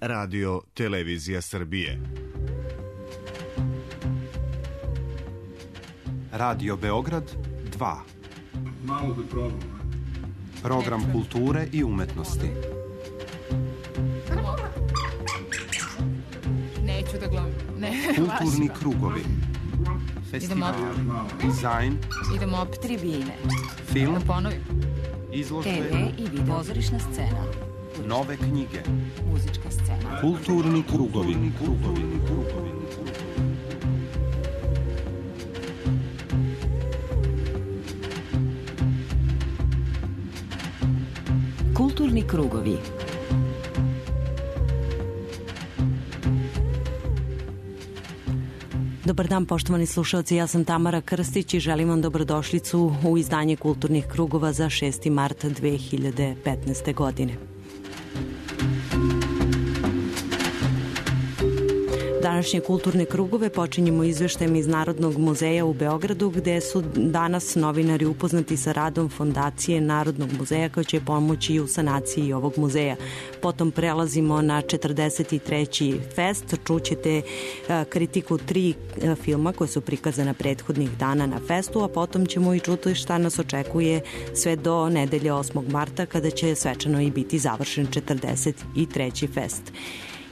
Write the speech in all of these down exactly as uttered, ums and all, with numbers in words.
Radio Televizija Srbije. Radio Beograd dva. Malo da probam. Program kulture i umetnosti. Neću da gledam. Ne, Kulturni krugovi. Festival, dizajn. Idemo opet tribine. Film. Da ponovim. Izložbe. te ve i video. Pozorišna scena. Nove knjige. Muzička scena. Kulturni krugovi. Krugovi. Krugovi. Kulturni krugovi. Dobar dan, poštovani slušalci, ja sam Tamara Krstić i želim vam dobrodošlicu u izdanje Kulturnih krugova za šesti mart dve hiljade petnaeste. godine. Današnje kulturne krugove počinjemo izveštajem iz Narodnog muzeja u Beogradu, gde su danas novinari upoznati sa radom Fondacije Narodnog muzeja koja će pomoći u sanaciji ovog muzeja. Potom prelazimo na četrdeset treći fest, čućete kritiku tri filma koje su prikazana prethodnih dana na festu, a potom ćemo i čuti šta nas očekuje sve do nedelje osmog marta kada će svečano i biti završen četrdeset treći fest.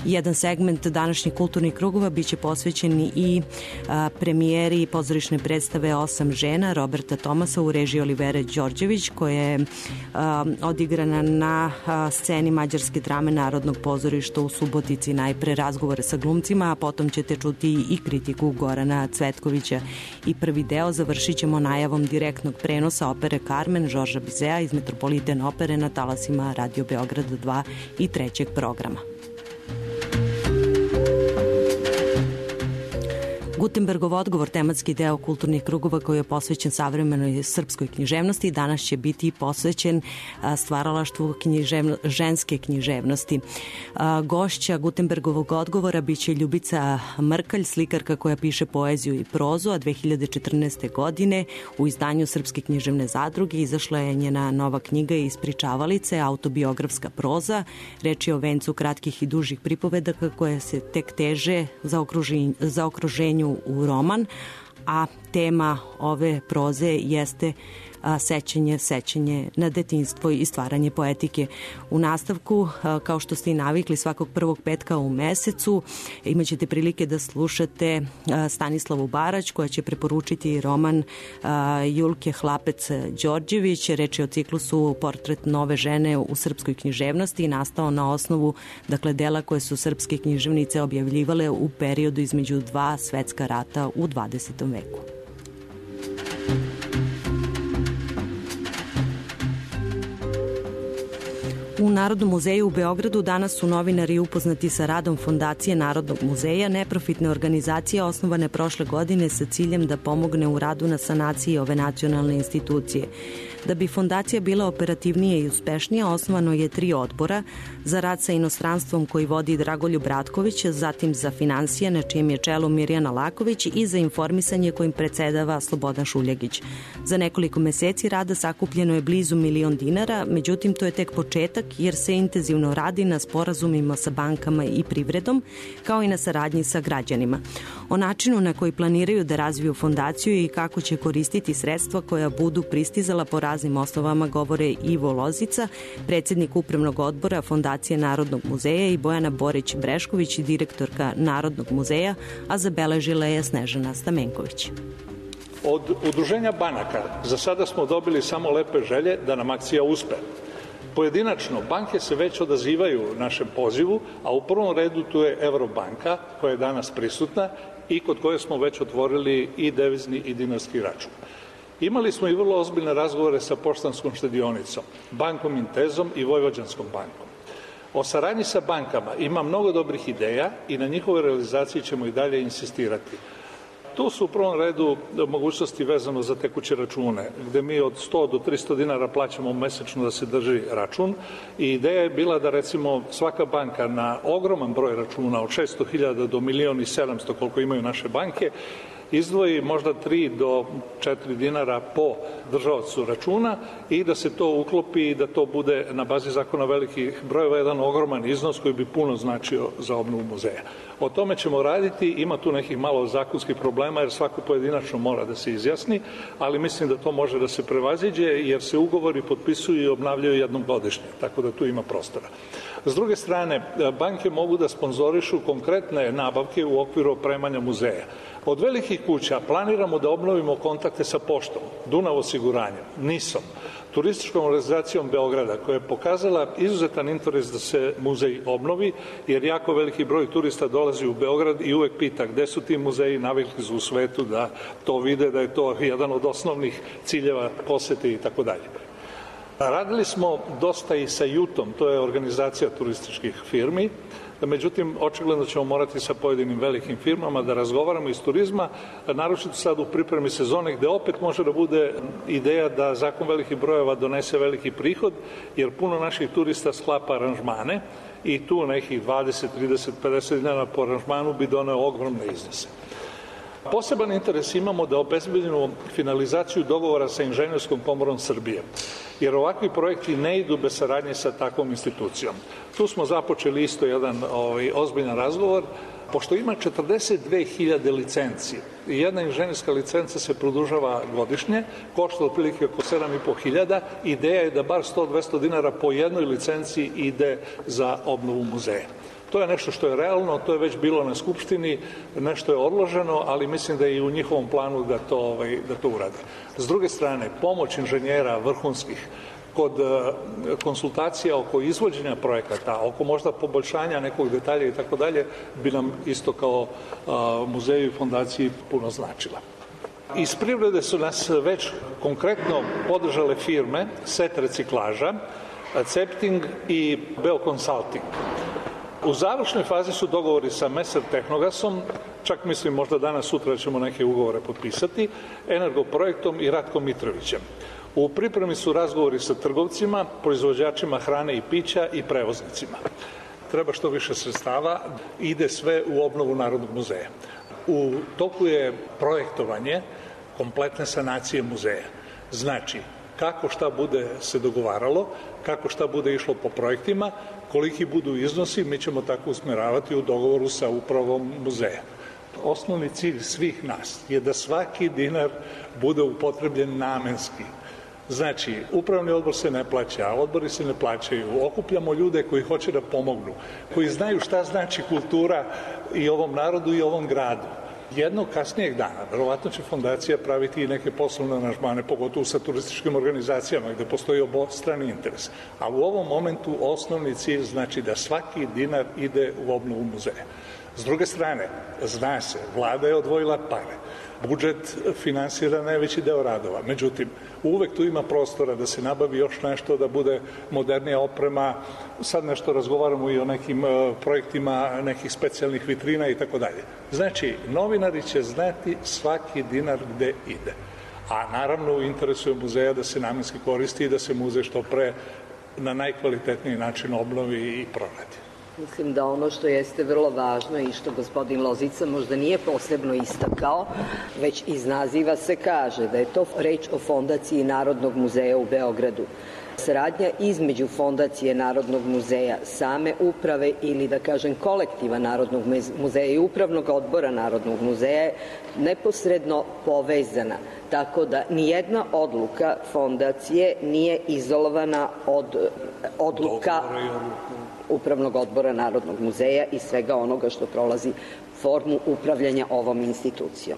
Jedan segment današnjih kulturnih krugova biće posvećen i a, premijeri pozorišne predstave Osam žena Roberta Tomasa u režiji Olivere Đorđević, koja je a, odigrana na a, sceni mađarske drame Narodnog pozorišta u Subotici. Najpre razgovore sa glumcima, a potom ćete čuti i kritiku Gorana Cvetkovića. I prvi deo završit ćemo najavom direktnog prenosa opere Carmen Žorža Bizea iz Metropoliten opere na talasima Radio Beograd dva i trećeg programa. Gutenbergov odgovor, tematski deo kulturnih krugova koji je posvećen savremenoj srpskoj književnosti, danas će biti posvećen stvaralaštvu književno, ženske književnosti. Gošća Gutenbergovog odgovora biće Ljubica Mrkalj, slikarka koja piše poeziju i prozu, a dve hiljade četrnaeste. godine u izdanju Srpske književne zadruge izašla je njena nova knjiga Ispričavalice, autobiografska proza. Reč je o vencu kratkih i dužih pripovedaka koje se tek teže za okruženju, za okruženju u roman, a tema ove proze jeste a, sećanje, sećanje na detinjstvo i stvaranje poetike. U nastavku, a, kao što ste i navikli, svakog prvog petka u mesecu imaćete prilike da slušate a, Stanislavu Barać koja će preporučiti roman a, Julke Hlapec Đorđević. Reč je o ciklusu Portret nove žene u srpskoj književnosti i nastao na osnovu dakle, dela koje su srpske književnice objavljivale u periodu između dva svetska rata u dvadesetom veku. U Narodnom muzeju u Beogradu danas su novinari upoznati sa radom Fondacije Narodnog muzeja, neprofitne organizacije osnovane prošle godine sa ciljem da pomogne u radu na sanaciji ove nacionalne institucije. Da bi fondacija bila operativnija i uspešnija, osnovano je tri odbora: za rad sa inostranstvom koji vodi Dragoljub Ratković, zatim za finansije na čijem je čelu Mirjana Laković i za informisanje kojim predsedava Slobodan Šuljagić. Za nekoliko meseci rada sakupljeno je blizu milion dinara, međutim to je tek početak jer se intenzivno radi na sporazumima sa bankama i privredom, kao i na saradnji sa građanima. O načinu na koji planiraju da razviju fondaciju i kako će koristiti sredstva koja budu pristizala po raznim osnovama govore Ivo Lozica, predsjednik upravnog odbora Fondacije Narodnog muzeja, i Bojana Borić-Brešković, direktorka Narodnog muzeja, a zabeležila je Snežana Stamenković. Od udruženja banaka za sada smo dobili samo lepe želje da nam akcija uspe. Pojedinačno, banke se već odazivaju našem pozivu, a u prvom redu tu je Evrobanka koja je danas prisutna i kod koje smo već otvorili i devizni i dinarski račun. Imali smo i vrlo ozbiljne razgovore sa Poštanskom štedionicom, Bankom Intezom i Vojvođanskom bankom. O saradnji sa bankama ima mnogo dobrih ideja i na njihovoj realizaciji ćemo i dalje insistirati. Tu su u prvom redu mogućnosti vezano za tekuće račune, gde mi od sto do tristo dinara plaćamo mesečno da se drži račun, i ideja je bila da recimo svaka banka na ogroman broj računa od šesto hiljada do milion i sedamsto koliko imaju naše banke izdvoji možda tri do četiri dinara po držaocu računa i da se to uklopi i da to bude na bazi zakona velikih brojeva jedan ogroman iznos koji bi puno značio za obnovu muzeja. O tome ćemo raditi, ima tu nekih malo zakonskih problema jer svako pojedinačno mora da se izjasni, ali mislim da to može da se prevaziđe jer se ugovori potpisuju i obnavljaju jednom godišnje, tako da tu ima prostora. S druge strane, banke mogu da sponzorišu konkretne nabavke u okviru opremanja muzeja. Od velikih kuća planiramo da obnovimo kontakte sa poštom, Dunav osiguranjem, Nisom, turističkom organizacijom Beograda koja je pokazala izuzetan interes da se muzej obnovi, jer jako veliki broj turista dolazi u Beograd i uvek pita gde su ti muzeji, navikli su u svetu da to vide, da je to jedan od osnovnih ciljeva posete i tako dalje. Radili smo dosta i sa Jutom, to je organizacija turističkih firmi, međutim, očigledno ćemo morati sa pojedinim velikim firmama da razgovaramo iz turizma, naročito sad u pripremi sezone, gde opet može da bude ideja da zakon velikih brojeva donese veliki prihod, jer puno naših turista sklapa aranžmane i tu nekih dvadeset, trideset, pedeset dinara po aranžmanu bi doneo ogromne iznose. Poseban interes imamo da obezbedimo finalizaciju dogovora sa Inženjerskom komorom Srbije, jer ovakvi projekti ne idu bez saradnje sa takvom institucijom. Tu smo započeli isto jedan ovaj, ozbiljan razgovor, pošto ima četrdeset dve hiljade licenci i jedna inženjerska licenca se produžava godišnje, košta otprilike oko sedam i po hiljada, ideja je da bar sto do dvesta dinara po jednoj licenci ide za obnovu muzeja. To je nešto što je realno, to je već bilo na Skupštini, nešto je odloženo, ali mislim da je i u njihovom planu da to, ovaj, da to urade. S druge strane, pomoć inženjera vrhunskih kod konsultacija oko izvođenja projekata, oko možda poboljšanja nekog detalja i tako dalje, bi nam isto kao muzeju i fondaciji puno značila. Iz privrede su nas već konkretno podržale firme Set reciklaža, Cepting i Beo Consulting. U završnoj fazi su dogovori sa Meser Tehnogasom, čak mislim možda danas sutra ćemo neke ugovore potpisati, Energoprojektom i Ratkom Mitrovićem. U pripremi su razgovori sa trgovcima, proizvođačima hrane i pića i prevoznicima. Treba što više sredstava, ide sve u obnovu Narodnog muzeja. U toku je projektovanje kompletne sanacije muzeja. Znači, kako šta bude se dogovaralo, kako šta bude išlo po projektima, koliki budu iznosi, mi ćemo tako usmeravati u dogovoru sa upravom muzeja. Osnovni cilj svih nas je da svaki dinar bude upotrebljen namenski. Znači, upravni odbor se ne plaća, odbori se ne plaćaju, okupljamo ljude koji hoće da pomognu, koji znaju šta znači kultura i ovom narodu i ovom gradu. Jednog kasnijeg dana, verovatno će fondacija praviti i neke poslovne aranžmane, pogotovo sa turističkim organizacijama gde postoji obostrani interes. A u ovom momentu osnovni cilj znači da svaki dinar ide u obnovu muzeja. S druge strane, zna se, vlada je odvojila pare. Budžet finansira najveći deo radova. Međutim, uvek tu ima prostora da se nabavi još nešto, da bude modernija oprema. Sad nešto razgovaramo i o nekim projektima, nekih specijalnih vitrina i tako dalje. Znači, novinari će znati svaki dinar gde ide. A naravno, u interesu je muzeja da se namenski koristi i da se muzej što pre na najkvalitetniji način obnovi i proradi. Mislim da ono što jeste vrlo važno i što gospodin Lozica možda nije posebno istakao, već iz naziva se kaže da je to reč o Fondaciji Narodnog muzeja u Beogradu. Saradnja između Fondacije Narodnog muzeja, same uprave ili da kažem kolektiva Narodnog muzeja i upravnog odbora Narodnog muzeja je neposredno povezana. Tako da nijedna odluka fondacije nije izolovana od odluka Upravnog odbora Narodnog muzeja i svega onoga što prolazi formu upravljanja ovom institucijom.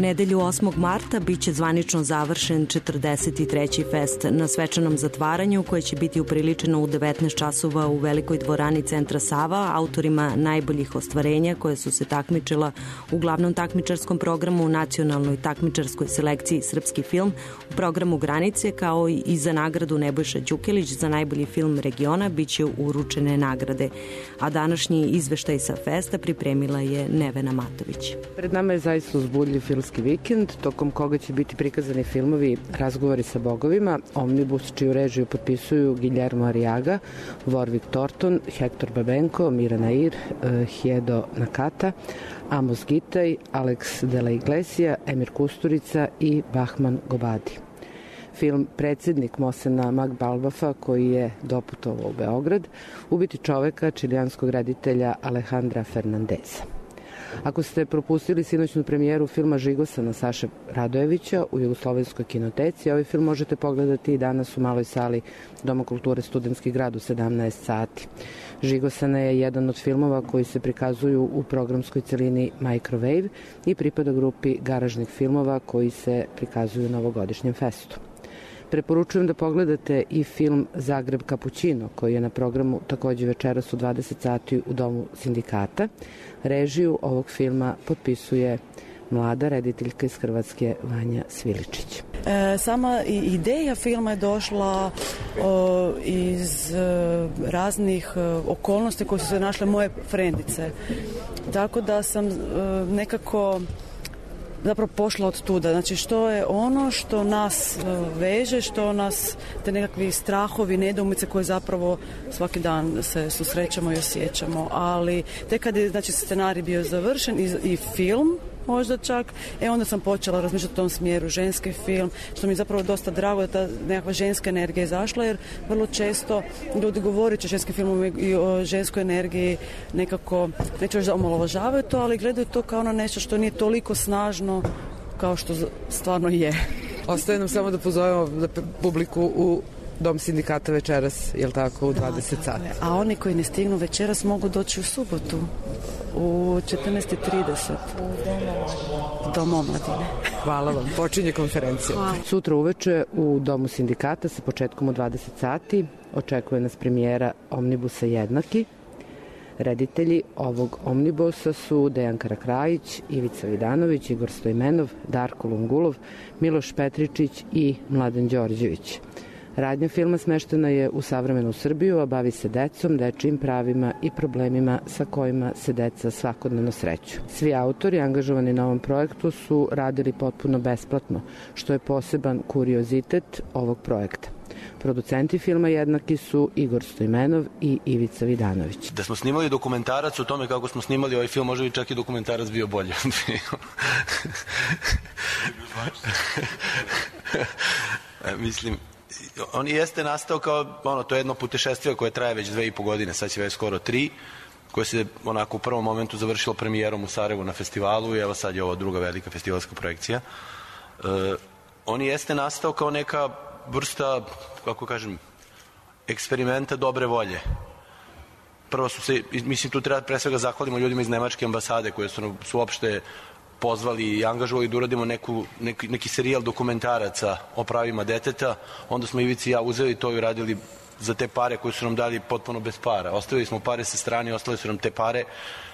nedelju osmog marta biće zvanično završen četrdeset treći fest na svečanom zatvaranju koje će biti upriličeno u devetnaest časova u velikoj dvorani Centra Sava autorima najboljih ostvarenja koje su se takmičila u glavnom takmičarskom programu, nacionalnoj takmičarskoj selekciji Srpski film, u programu Granice, kao i za nagradu Nebojša Đukelić za najbolji film regiona biće uručene nagrade. A današnji izveštaj sa festa pripremila je Nevena Matović. Pred nama je zaista uzbudljiv filmski vikend, tokom koga će biti prikazani filmovi Razgovori sa bogovima, Omnibus, čiju režiju potpisuju Guillermo Arriaga, Warwick Thornton, Hector Babenko, Mira Nair, Hiedo Nakata, Amos Gitaj, Alex de la Iglesia, Emir Kusturica i Bahman Gobadi. Film Predsjednik Mosena Magbalbafa, koji je doputovao u Beograd, ubiti čoveka čilijanskog reditelja Alejandra Fernandeza. Ako ste propustili sinoćnu premijeru filma Žigosana Saše Radojevića u Jugoslovenskoj kinoteci, ovaj film možete pogledati i danas u maloj sali Doma kulture Studentski grad u sedamnaest sati. Žigosana je jedan od filmova koji se prikazuju u programskoj celini Microwave i pripada grupi garažnih filmova koji se prikazuju na ovogodišnjem festu. Preporučujem da pogledate i film Zagreb Kapućino, koji je na programu takođe večeras u dvadeset sati u Domu sindikata. Režiju ovog filma potpisuje mlada rediteljka iz Hrvatske Vanja Sviličić. E, sama ideja filma je došla o, iz e, raznih e, okolnosti koje su se našle moje frendice. Tako da sam e, nekako zapravo pošla od tuda. Znači što je ono što nas veže, što nas, te nekakvi strahovi, nedoumice koje zapravo svaki dan se susrećemo i osjećamo. Ali tek kad je znači, scenarij bio završen i, i film, možda čak, e onda sam počela razmišljati u tom smjeru, ženski film, što mi je zapravo dosta drago da ta nekakva ženska energija je izašla, jer vrlo često ljudi govoreći o ženskim filmom i o ženskoj energiji nekako, neću reći da omalovažavaju to, ali gledaju to kao na nešto što nije toliko snažno kao što stvarno je. Ostaje nam samo da pozovemo publiku u Dom sindikata večeras, je li tako, u dvadeset sati. A oni koji ne stignu večeras mogu doći u subotu u četrnaest i trideset Dom omladine. Hvala vam. Počinje konferencija. Hvala. Sutra uveče u Domu sindikata sa početkom u dvadeset sati očekuje nas premijera Omnibusa Jednaki. Reditelji ovog Omnibusa su Dejan Karakrajić, Ivica Vidanović, Igor Stojmenov, Darko Lungulov, Miloš Petričić i Mladen Đorđević. Radnja filma smeštena je u savremenu Srbiju, a bavi se decom, dečijim pravima i problemima sa kojima se deca svakodnevno sreću. Svi autori angažovani na ovom projektu su radili potpuno besplatno, što je poseban kuriozitet ovog projekta. Producenti filma jednaki su Igor Stojmenov i Ivica Vidanović. Da smo snimali dokumentarac o tome kako smo snimali ovaj film, možda bi čak i dokumentarac bio bolji. Mislim, on jeste nastao kao, ono, to je jedno putešestvije koje traje već dve i po godine, sad će već skoro tri, koje se onako u prvom momentu završilo premijerom u Sarajevu na festivalu i evo sad je ovo druga velika festivalska projekcija. E, on jeste nastao kao neka vrsta, kako kažem, eksperimenta dobre volje. Prvo su se, mislim, tu treba pre svega zahvalimo ljudima iz Nemačke ambasade koje su, su uopšte pozvali i angažovali da uradimo neku, neki, neki serijal dokumentaraca o pravima deteta. Onda smo Ivici i ja uzeli to i uradili za te pare koje su nam dali potpuno bez para. Ostavili smo pare sa strane, ostali su nam te pare,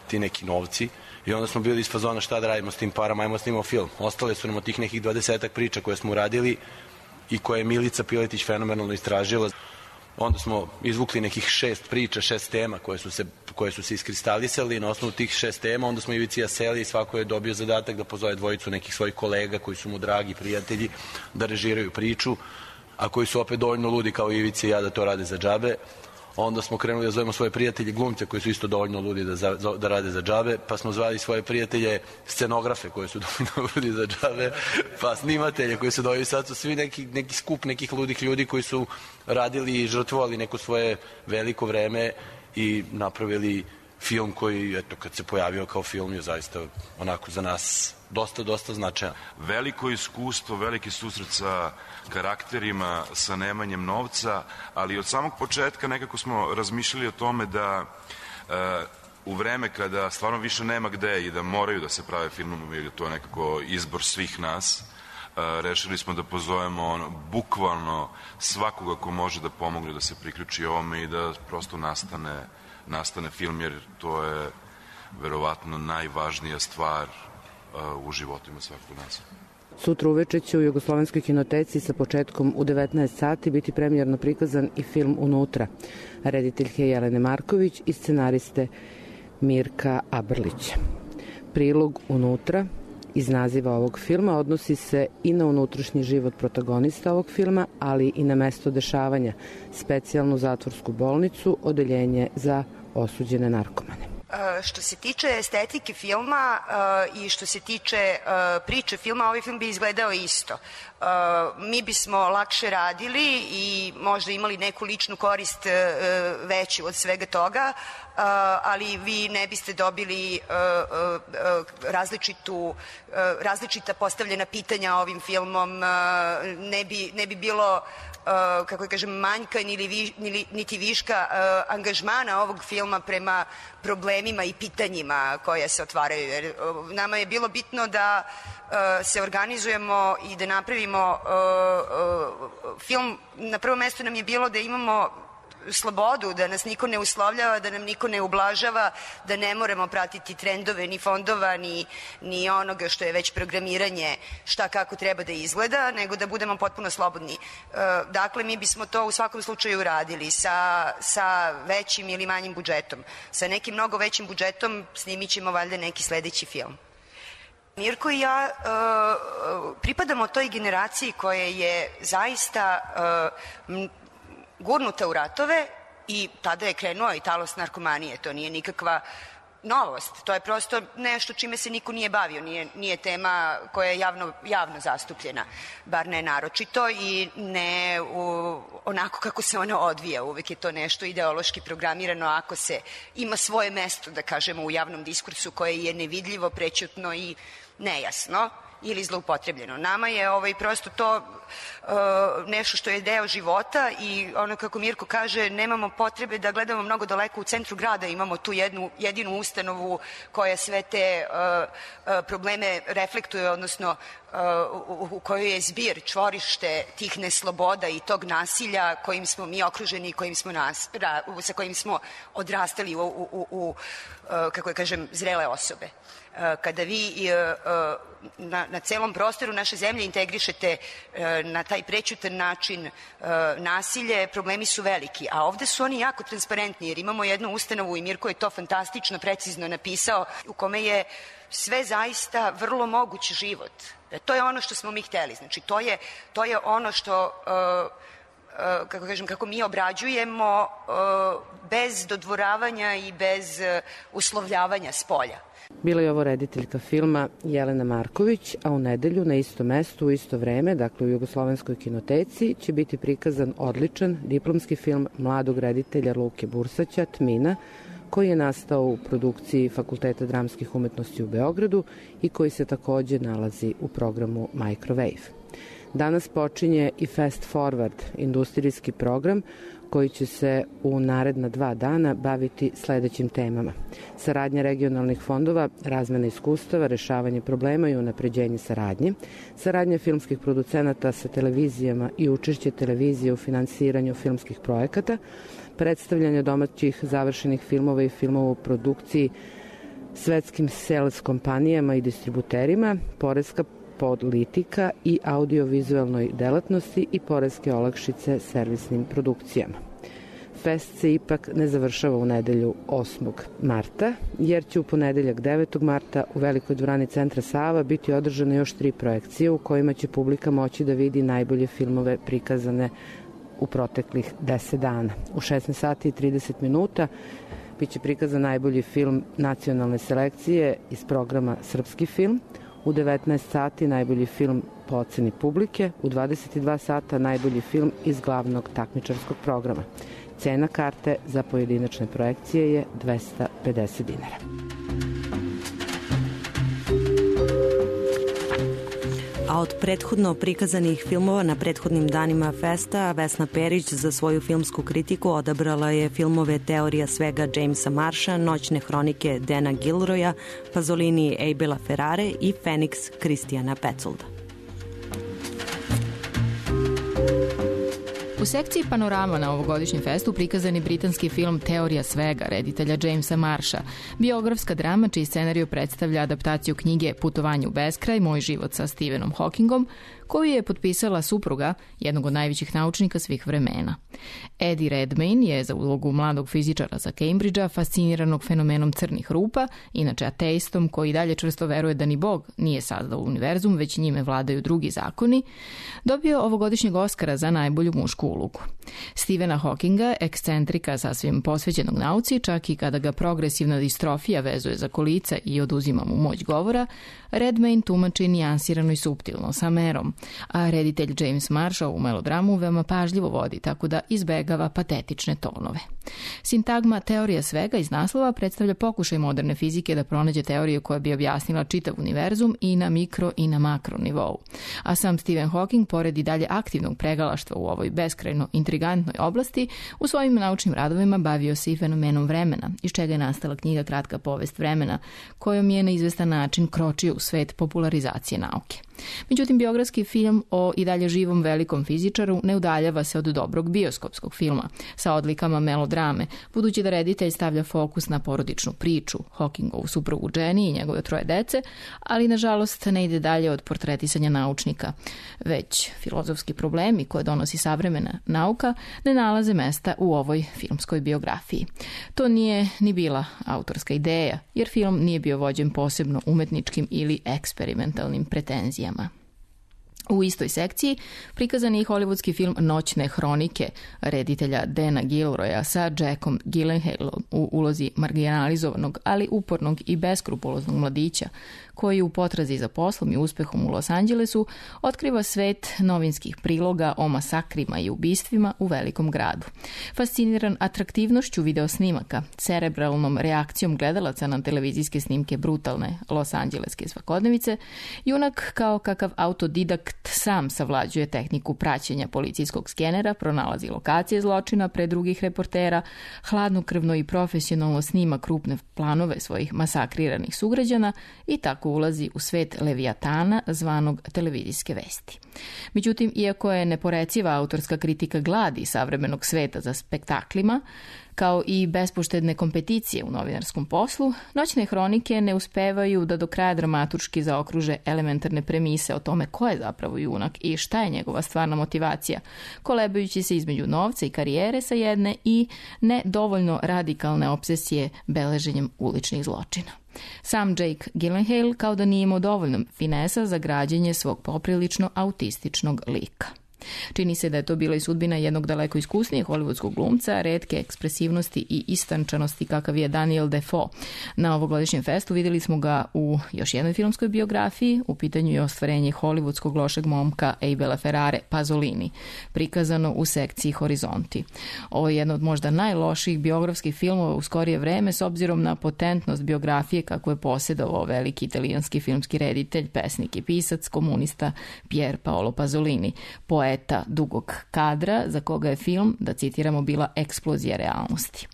ti neki novci. I onda smo bili iz fazona šta da radimo s tim parama, ajmo snimamo film. Ostale su nam od tih nekih dvadesetak priča koje smo uradili i koje je Milica Piletić fenomenalno istražila. Onda smo izvukli nekih šest priča, šest tema koje su se, koje su se iskristalisali. Na osnovu tih šest tema onda smo Ivici i ja seli i svako je dobio zadatak da pozove dvojicu nekih svojih kolega koji su mu dragi prijatelji da režiraju priču, a koji su opet dovoljno ludi kao Ivici i ja da to rade za džabe. Onda smo krenuli da zovemo svoje prijatelje glumce koji su isto dovoljno ludi da, za, da rade za džabe, pa smo zvali svoje prijatelje scenografe koji su dovoljno ludi za džabe, pa snimatelje koji su dovoljno, sad su svi neki, neki skup nekih ludih ljudi koji su radili i žrtvovali neko svoje veliko vreme i napravili film koji, eto, kad se pojavio kao film je zaista onako za nas dosta, dosta značajan. Veliko iskustvo, veliki susret sa karakterima, sa nemanjem novca, ali od samog početka nekako smo razmišljali o tome da uh, u vreme kada stvarno više nema gde i da moraju da se prave filmovi, jer to je nekako izbor svih nas, rešili smo da pozovemo ono, bukvalno svakoga ko može da pomogne da se priključi ovome i da prosto nastane, nastane film, jer to je verovatno najvažnija stvar uh, u životima svakog nas. Sutra uveče će u Jugoslovenskoj kinoteci sa početkom u devetnaest sati biti premijerno prikazan i film Unutra, rediteljke Jelene Marković i scenariste Mirka Abrlića. Prilog Unutra iz naziva ovog filma odnosi se i na unutrašnji život protagonista ovog filma, ali i na mesto dešavanja, specijalnu zatvorsku bolnicu, odeljenje za osuđene narkomane. Što se tiče estetike filma i što se tiče priče filma, ovaj film bi izgledao isto. Mi bismo lakše radili i možda imali neku ličnu korist veću od svega toga, ali vi ne biste dobili različitu, različita postavljena pitanja ovim filmom, ne bi, ne bi bilo kako kažem, manjka niti viška angažmana ovog filma prema problemima i pitanjima koja se otvaraju. Jer nama je bilo bitno da se organizujemo i da napravimo film. Na prvo mesto nam je bilo da imamo slobodu, da nas niko ne uslovljava, da nam niko ne ublažava, da ne moramo pratiti trendove ni fondova, ni, ni onoga što je već programiranje šta kako treba da izgleda, nego da budemo potpuno slobodni. Dakle, mi bismo to u svakom slučaju radili sa, sa većim ili manjim budžetom. Sa nekim mnogo većim budžetom snimit ćemo valjda neki sledeći film. Mirko i ja uh, pripadamo toj generaciji koja je zaista uh, gurnuta u ratove i tada je krenuo i talas narkomanije. To nije nikakva novost. To je prosto nešto čime se niko nije bavio. Nije, nije tema koja je javno, javno zastupljena, bar ne naročito i ne u, onako kako se ona odvija. Uvek je to nešto ideološki programirano ako se ima svoje mesto, da kažemo, u javnom diskursu koje je nevidljivo, prećutno i nejasno ili zloupotrebljeno. Nama je ovaj, prosto to uh, nešto što je deo života i ono kako Mirko kaže, nemamo potrebe da gledamo mnogo daleko u centru grada, imamo tu jednu jedinu ustanovu koja sve te uh, uh, probleme reflektuje, odnosno uh, u, u kojoj je zbir, čvorište tih nesloboda i tog nasilja kojim smo mi okruženi i kojim smo nas, ra, sa kojim smo odrastali u, u, u, u uh, kako je kažem, zrele osobe. Kada vi na, na celom prostoru naše zemlje integrišete na taj prećutan način nasilje, problemi su veliki, a ovde su oni jako transparentni, jer imamo jednu ustanovu i Mirko je to fantastično, precizno napisao, u kome je sve zaista vrlo moguć život. To je ono što smo mi hteli, znači to je, to je ono što kako kažem, kako mi obrađujemo bez dodvoravanja i bez uslovljavanja s polja. Bila je ovo rediteljka filma Jelena Marković, a u nedelju na istom mestu, u isto vreme, dakle u Jugoslovenskoj kinoteci, će biti prikazan odličan diplomski film mladog reditelja Luke Bursaća, Tmina, koji je nastao u produkciji Fakulteta dramskih umetnosti u Beogradu i koji se takođe nalazi u programu Microwave. Danas počinje i Fast Forward, industrijski program koji će se u naredna dva dana baviti sledećim temama. Saradnja regionalnih fondova, razmena iskustava, rešavanje problema i unapređenje saradnje, saradnja filmskih producenata sa televizijama i učešće televizije u finansiranju filmskih projekata, predstavljanje domaćih završenih filmova i filmova u produkciji svetskim sales kompanijama i distributerima, poreska politika i audiovizualnoj delatnosti i poreske olakšice servisnim produkcijama. Fest se ipak ne završava u nedelju osmog marta, jer će u ponedeljak devetog marta u Velikoj dvorani Centra Sava biti održane još tri projekcije u kojima će publika moći da vidi najbolje filmove prikazane u proteklih deset dana. U šesnaest sati i trideset minuta biće prikazan najbolji film nacionalne selekcije iz programa Srpski film, u devetnaest sati najbolji film po oceni publike, u dvadeset dva sata najbolji film iz glavnog takmičarskog programa. Cena karte za pojedinačne projekcije je dvesta pedeset dinara. A od prethodno prikazanih filmova na prethodnim danima festa, Vesna Perić za svoju filmsku kritiku odabrala je filmove Teorija svega Jamesa Marsha, Noćne hronike Dana Gilroya, Pasolini Abela Ferrare i Feniks Kristijana Petzoldta. U sekciji Panorama na ovogodišnjem festu prikazan je britanski film Teorija svega, reditelja Jamesa Marsha, biografska drama čiji scenariju predstavlja adaptaciju knjige Putovanje u beskraj, Moj život sa Stephenom Hawkingom, koju je potpisala supruga jednog od najvećih naučnika svih vremena. Eddie Redmayne je za ulogu mladog fizičara sa Cambridgea, fasciniranog fenomenom crnih rupa, inače ateistom koji dalje čvrsto veruje da ni Bog nije sazdao univerzum, već njime vladaju drugi zakoni, dobio ovogodišnjeg Oskara za najbolju mušku ulogu. Stephena Hawkinga, ekscentrika sasvim posvećenog nauci, čak i kada ga progresivna distrofija vezuje za kolica i oduzima mu moć govora, Redmayne tumači nijansirano i suptilno, sa merom, a reditelj James Marsh u melodramu veoma pažljivo vodi, tako da izbegava patetične tonove. Sintagma Teorija svega iz naslova predstavlja pokušaj moderne fizike da pronađe teoriju koja bi objasnila čitav univerzum i na mikro i na makro nivou. A sam Stephen Hawking, pored i dalje aktivnog pregalaštva u ovoj beskrajno intrigantnoj oblasti, u svojim naučnim radovima bavio se i fenomenom vremena, iz čega je nastala knjiga Kratka povest vremena, kojom je na izvestan način kročio u svet popularizacije nauke. Međutim, biografski film o i dalje živom velikom fizičaru ne udaljava se od dobrog bioskopskog filma sa odlikama melodrame, budući da reditelj stavlja fokus na porodičnu priču, Hawkingovu suprugu Jenny i njegove troje dece, ali nažalost ne ide dalje od portretisanja naučnika, već filozofski problemi koje donosi savremena nauka ne nalaze mesta u ovoj filmskoj biografiji. To nije ni bila autorska ideja, jer film nije bio vođen posebno umetničkim ili eksperimentalnim pretenzijama. U istoj sekciji prikazan je i hollywoodski film Noćne hronike reditelja Dana Gilroya sa Jackom Gyllenhaalom u ulozi marginalizovanog, ali upornog i beskrupuloznog mladića koji u potrazi za poslom i uspehom u Los Angelesu otkriva svet novinskih priloga o masakrima i ubistvima u velikom gradu. Fasciniran atraktivnošću videosnimaka, cerebralnom reakcijom gledalaca na televizijske snimke brutalne Los Angeleske svakodnevice, junak kao kakav autodidakt sam savlađuje tehniku praćenja policijskog skenera, pronalazi lokacije zločina pred drugih reportera, hladnokrvno i profesionalno snima krupne planove svojih masakriranih sugrađana i tako ulazi u svet Leviatana zvanog televizijske vesti. Međutim, iako je neporeciva autorska kritika gladi savremenog sveta za spektaklima, kao i bespoštedne kompeticije u novinarskom poslu, Noćne hronike ne uspevaju da do kraja dramaturški zaokruže elementarne premise o tome ko je zapravo junak i šta je njegova stvarna motivacija, kolebajući se između novca i karijere sa jedne i ne dovoljno radikalne obsesije beleženjem uličnih zločina. Sam Jake Gyllenhaal kao da nije imao dovoljno finesa za građenje svog poprilično autističnog lika. Čini se da je to bila i sudbina jednog daleko iskusnijeg hollywoodskog glumca, retke ekspresivnosti i istančanosti kakav je Daniel Defoe. Na ovogodišnjem festu vidjeli smo ga u još jednoj filmskoj biografiji, u pitanju je ostvarenje hollywoodskog lošeg momka Abela Ferrare, Pasolini, prikazano u sekciji Horizonti. Ovo je jedno od možda najlošijih biografskih filmova u skorije vreme s obzirom na potentnost biografije kako je posjedovao veliki italijanski filmski reditelj, pesnik i pisac, komunista Pier Paolo Pasolini, poeta dugog kadra za koga je film, da citiramo, bila eksplozija realnosti.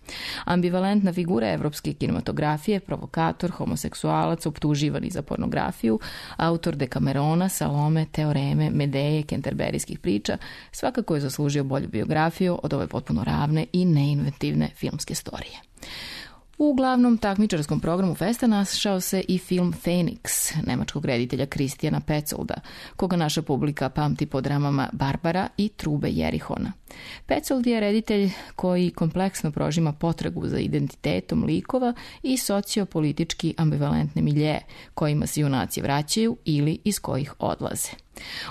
Ambivalentna figura evropske kinematografije, provokator, homoseksualac, optuživani za pornografiju, autor Dekamerona, Salome, Teoreme, Medeje, kenterberijskih priča, svakako je zaslužio bolju biografiju od ove potpuno ravne i neinventivne filmske storije. U glavnom takmičarskom programu festa našao se i film Feniks, nemačkog reditelja Kristijana Petzoldta, koga naša publika pamti po dramama Barbara i Trube Jerihona. Petzold je reditelj koji kompleksno prožima potragu za identitetom likova i sociopolitički ambivalentne milje kojima se junaci vraćaju ili iz kojih odlaze.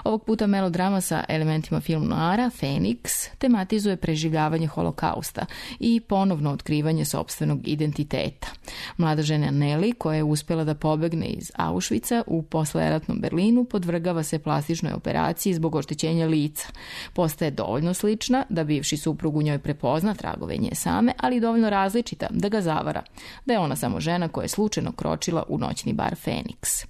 Ovog puta melodrama sa elementima film noara, Feniks, tematizuje preživljavanje holokausta i ponovno otkrivanje sopstvenog identiteta. Mlada žena Nelly, koja je uspjela da pobegne iz Auschwitza u posleratnom Berlinu, podvrgava se plastičnoj operaciji zbog oštećenja lica. Postaje dovoljno slična da bivši suprug u njoj prepozna tragove nje same, ali dovoljno različita da ga zavara, da je ona samo žena koja je slučajno kročila u noćni bar Feniks.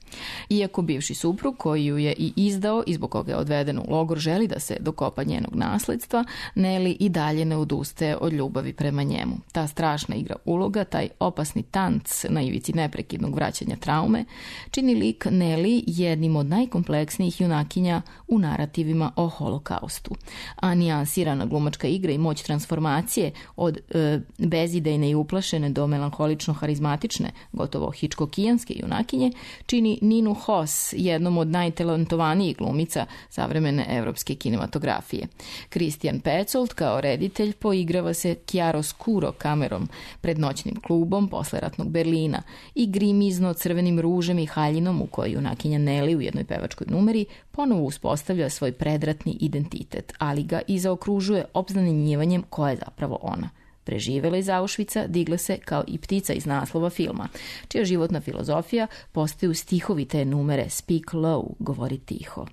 Iako bivši suprug, koji ju je i izdao izdao i zbog koga je odveden u logor želi da se dokopa njenog nasledstva, Nelly i dalje ne odustaje od ljubavi prema njemu. Ta strašna igra uloga, taj opasni tanc na ivici neprekidnog vraćanja traume, čini lik Nelly jednim od najkompleksnijih junakinja u narativima o holokaustu. A nijansirana glumačka igra i moć transformacije od e, bezidejne i uplašene do melanholično harizmatične, gotovo hičkokijanske junakinje, čini Ninu Hoss jednom od najtalentovanijih glumica savremene evropske kinematografije. Christian Petzold kao reditelj poigrava se chiaroscuro kamerom pred noćnim klubom posleratnog Berlina i grimizno crvenim ružem i haljinom u kojoj junakinja Nelly u jednoj pevačkoj numeri ponovo uspostavlja svoj predratni identitet, ali ga i zaokružuje obznanjenjivanjem ko je zapravo ona. Preživela iz Auschwitza, digla se kao i ptica iz naslova filma, čija životna filozofija postaju stihovi te numere Speak Low, govori tiho.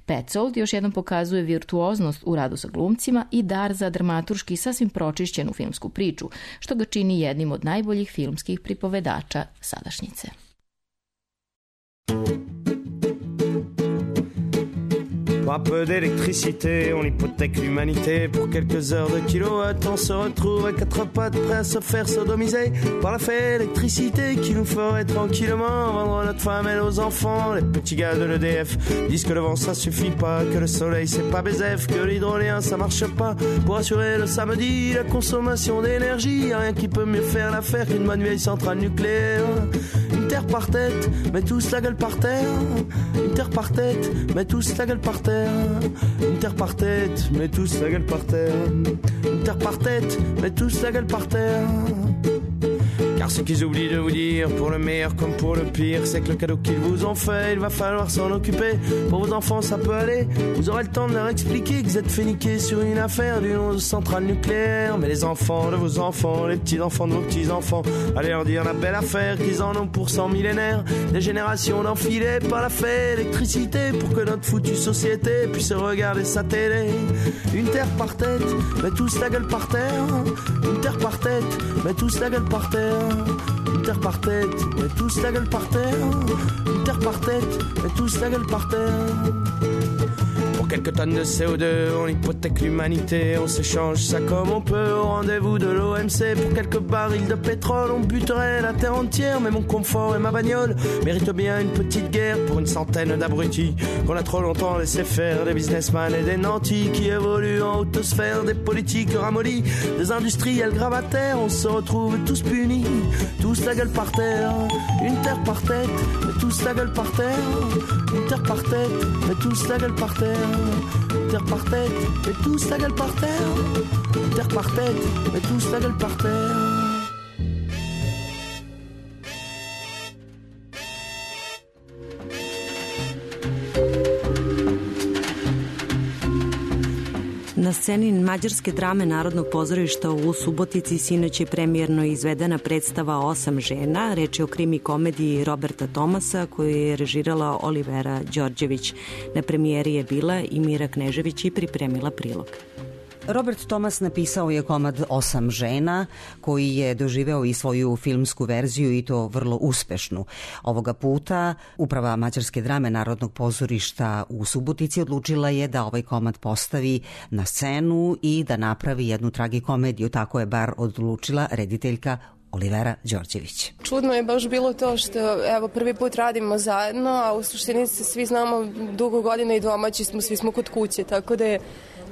Petzold još jednom pokazuje virtuoznost u radu sa glumcima i dar za dramaturški sasvim pročišćenu filmsku priču, što ga čini jednim od najboljih filmskih pripovedača sadašnjice. Pour un peu d'électricité, on hypothèque l'humanité. Pour quelques heures de kilowatts, on se retrouve à quatre pattes, prêt à se faire sodomiser par la fée électricité qui nous ferait tranquillement vendre notre femme et nos enfants. Les petits gars de l'E D F disent que le vent ça suffit pas, que le soleil c'est pas baiser, que l'hydrolien ça marche pas. Pour assurer le samedi la consommation d'énergie, rien qui peut mieux faire l'affaire qu'une bonne vieille centrale nucléaire. Une terre par tête, mais tous la gueule par terre. Une terre par tête, mais tous la gueule par terre. Une terre par tête, mais tous la gueule par terre. Une terre par tête, mais tous la gueule par terre. Car ce qu'ils oublient de vous dire, pour le meilleur comme pour le pire, c'est que le cadeau qu'ils vous ont fait, il va falloir s'en occuper. Pour vos enfants ça peut aller, vous aurez le temps de leur expliquer que vous êtes fait niquer sur une affaire d'une centrale nucléaire. Mais les enfants de vos enfants, les petits-enfants de vos petits-enfants, allez leur dire la belle affaire qu'ils en ont pour cent millénaires. Des générations d'enfilés par la fée électricité, pour que notre foutue société puisse regarder sa télé. Une terre par tête, mais tous la gueule par terre. Une terre par tête, mais tous la gueule par terre. Une terre par tête, mais tous la gueule par terre. Une terre par tête, mais tous la gueule par terre. Pour quelques tonnes de C O deux, on hypothèque l'humanité. On s'échange ça comme on peut au rendez-vous de l'O M C. Pour quelques barils de pétrole, on buterait la terre entière. Mais mon confort et ma bagnole méritent bien une petite guerre pour une centaine d'abrutis qu'on a trop longtemps laissé faire. Des businessmen et des nantis qui évoluent en haute sphère. Des politiques ramollis, des industriels gravataires. On se retrouve tous punis, tous la gueule par terre. Une terre par tête, mais tous la gueule par terre. Une terre par tête, mais tous la gueule par terre. Une terre par tête, mais tous la gueule par terre. Une terre par tête, mais tous la gueule par terre. Na sceni mađarske drame Narodnog pozorišta u Subotici sinoć je premijerno izvedena predstava Osam žena. Reč je o krimi komediji Roberta Tomasa koju je režirala Olivera Đorđević. Na premijeri je bila i Mira Knežević i pripremila prilog. Robert Tomas napisao je komad Osam žena, koji je doživeo i svoju filmsku verziju i to vrlo uspešnu. Ovoga puta uprava mađarske drame Narodnog pozorišta u Subotici odlučila je da ovaj komad postavi na scenu i da napravi jednu tragikomediju. Tako je bar odlučila rediteljka Olivera Đorđević. Čudno je baš bilo to što evo prvi put radimo zajedno, a u suštini se svi znamo dugo godina i domaći smo, svi smo kod kuće, tako da je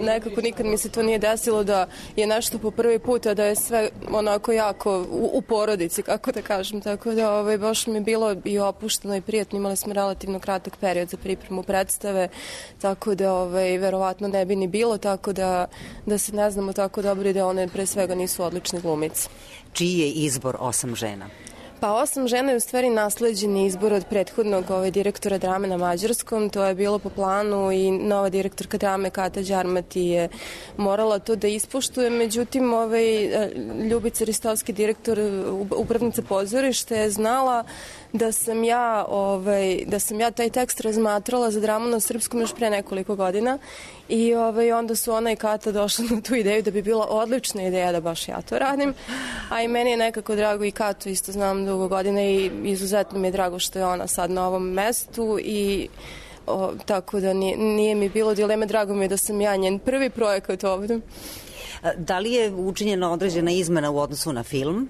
nekako nikad mi se to nije desilo da je nešto po prvi put, a da je sve onako jako u, u porodici, kako da kažem. Tako da ovaj, baš mi je bilo i opušteno i prijatno. Imali smo relativno kratak period za pripremu predstave, tako da ovaj, verovatno ne bi ni bilo, tako da, da se ne znamo tako dobro i da one pre svega nisu odlične glumice. Čiji je izbor Osam žena? Pa Osam žena je u stvari nasleđeni izbor od prethodnog ovaj, direktora drame na mađarskom. To je bilo po planu i nova direktorka drame Kata Đarmati je morala to da ispoštuje. Međutim, ovaj, Ljubica Ristovski, direktor, upravnica pozorišta, je znala da sam ja ovaj, da sam ja taj tekst razmatrala za dramu na srpskom još pre nekoliko godina i ovaj, onda su ona i Kata došla na tu ideju da bi bila odlična ideja da baš ja to radim, a i meni je nekako drago i Katu isto znam dugo godina i izuzetno mi je drago što je ona sad na ovom mestu i O, tako da nije, nije mi bilo dileme, drago mi je da sam ja njen prvi projekat ovdje. Da li je učinjena određena izmena u odnosu na film?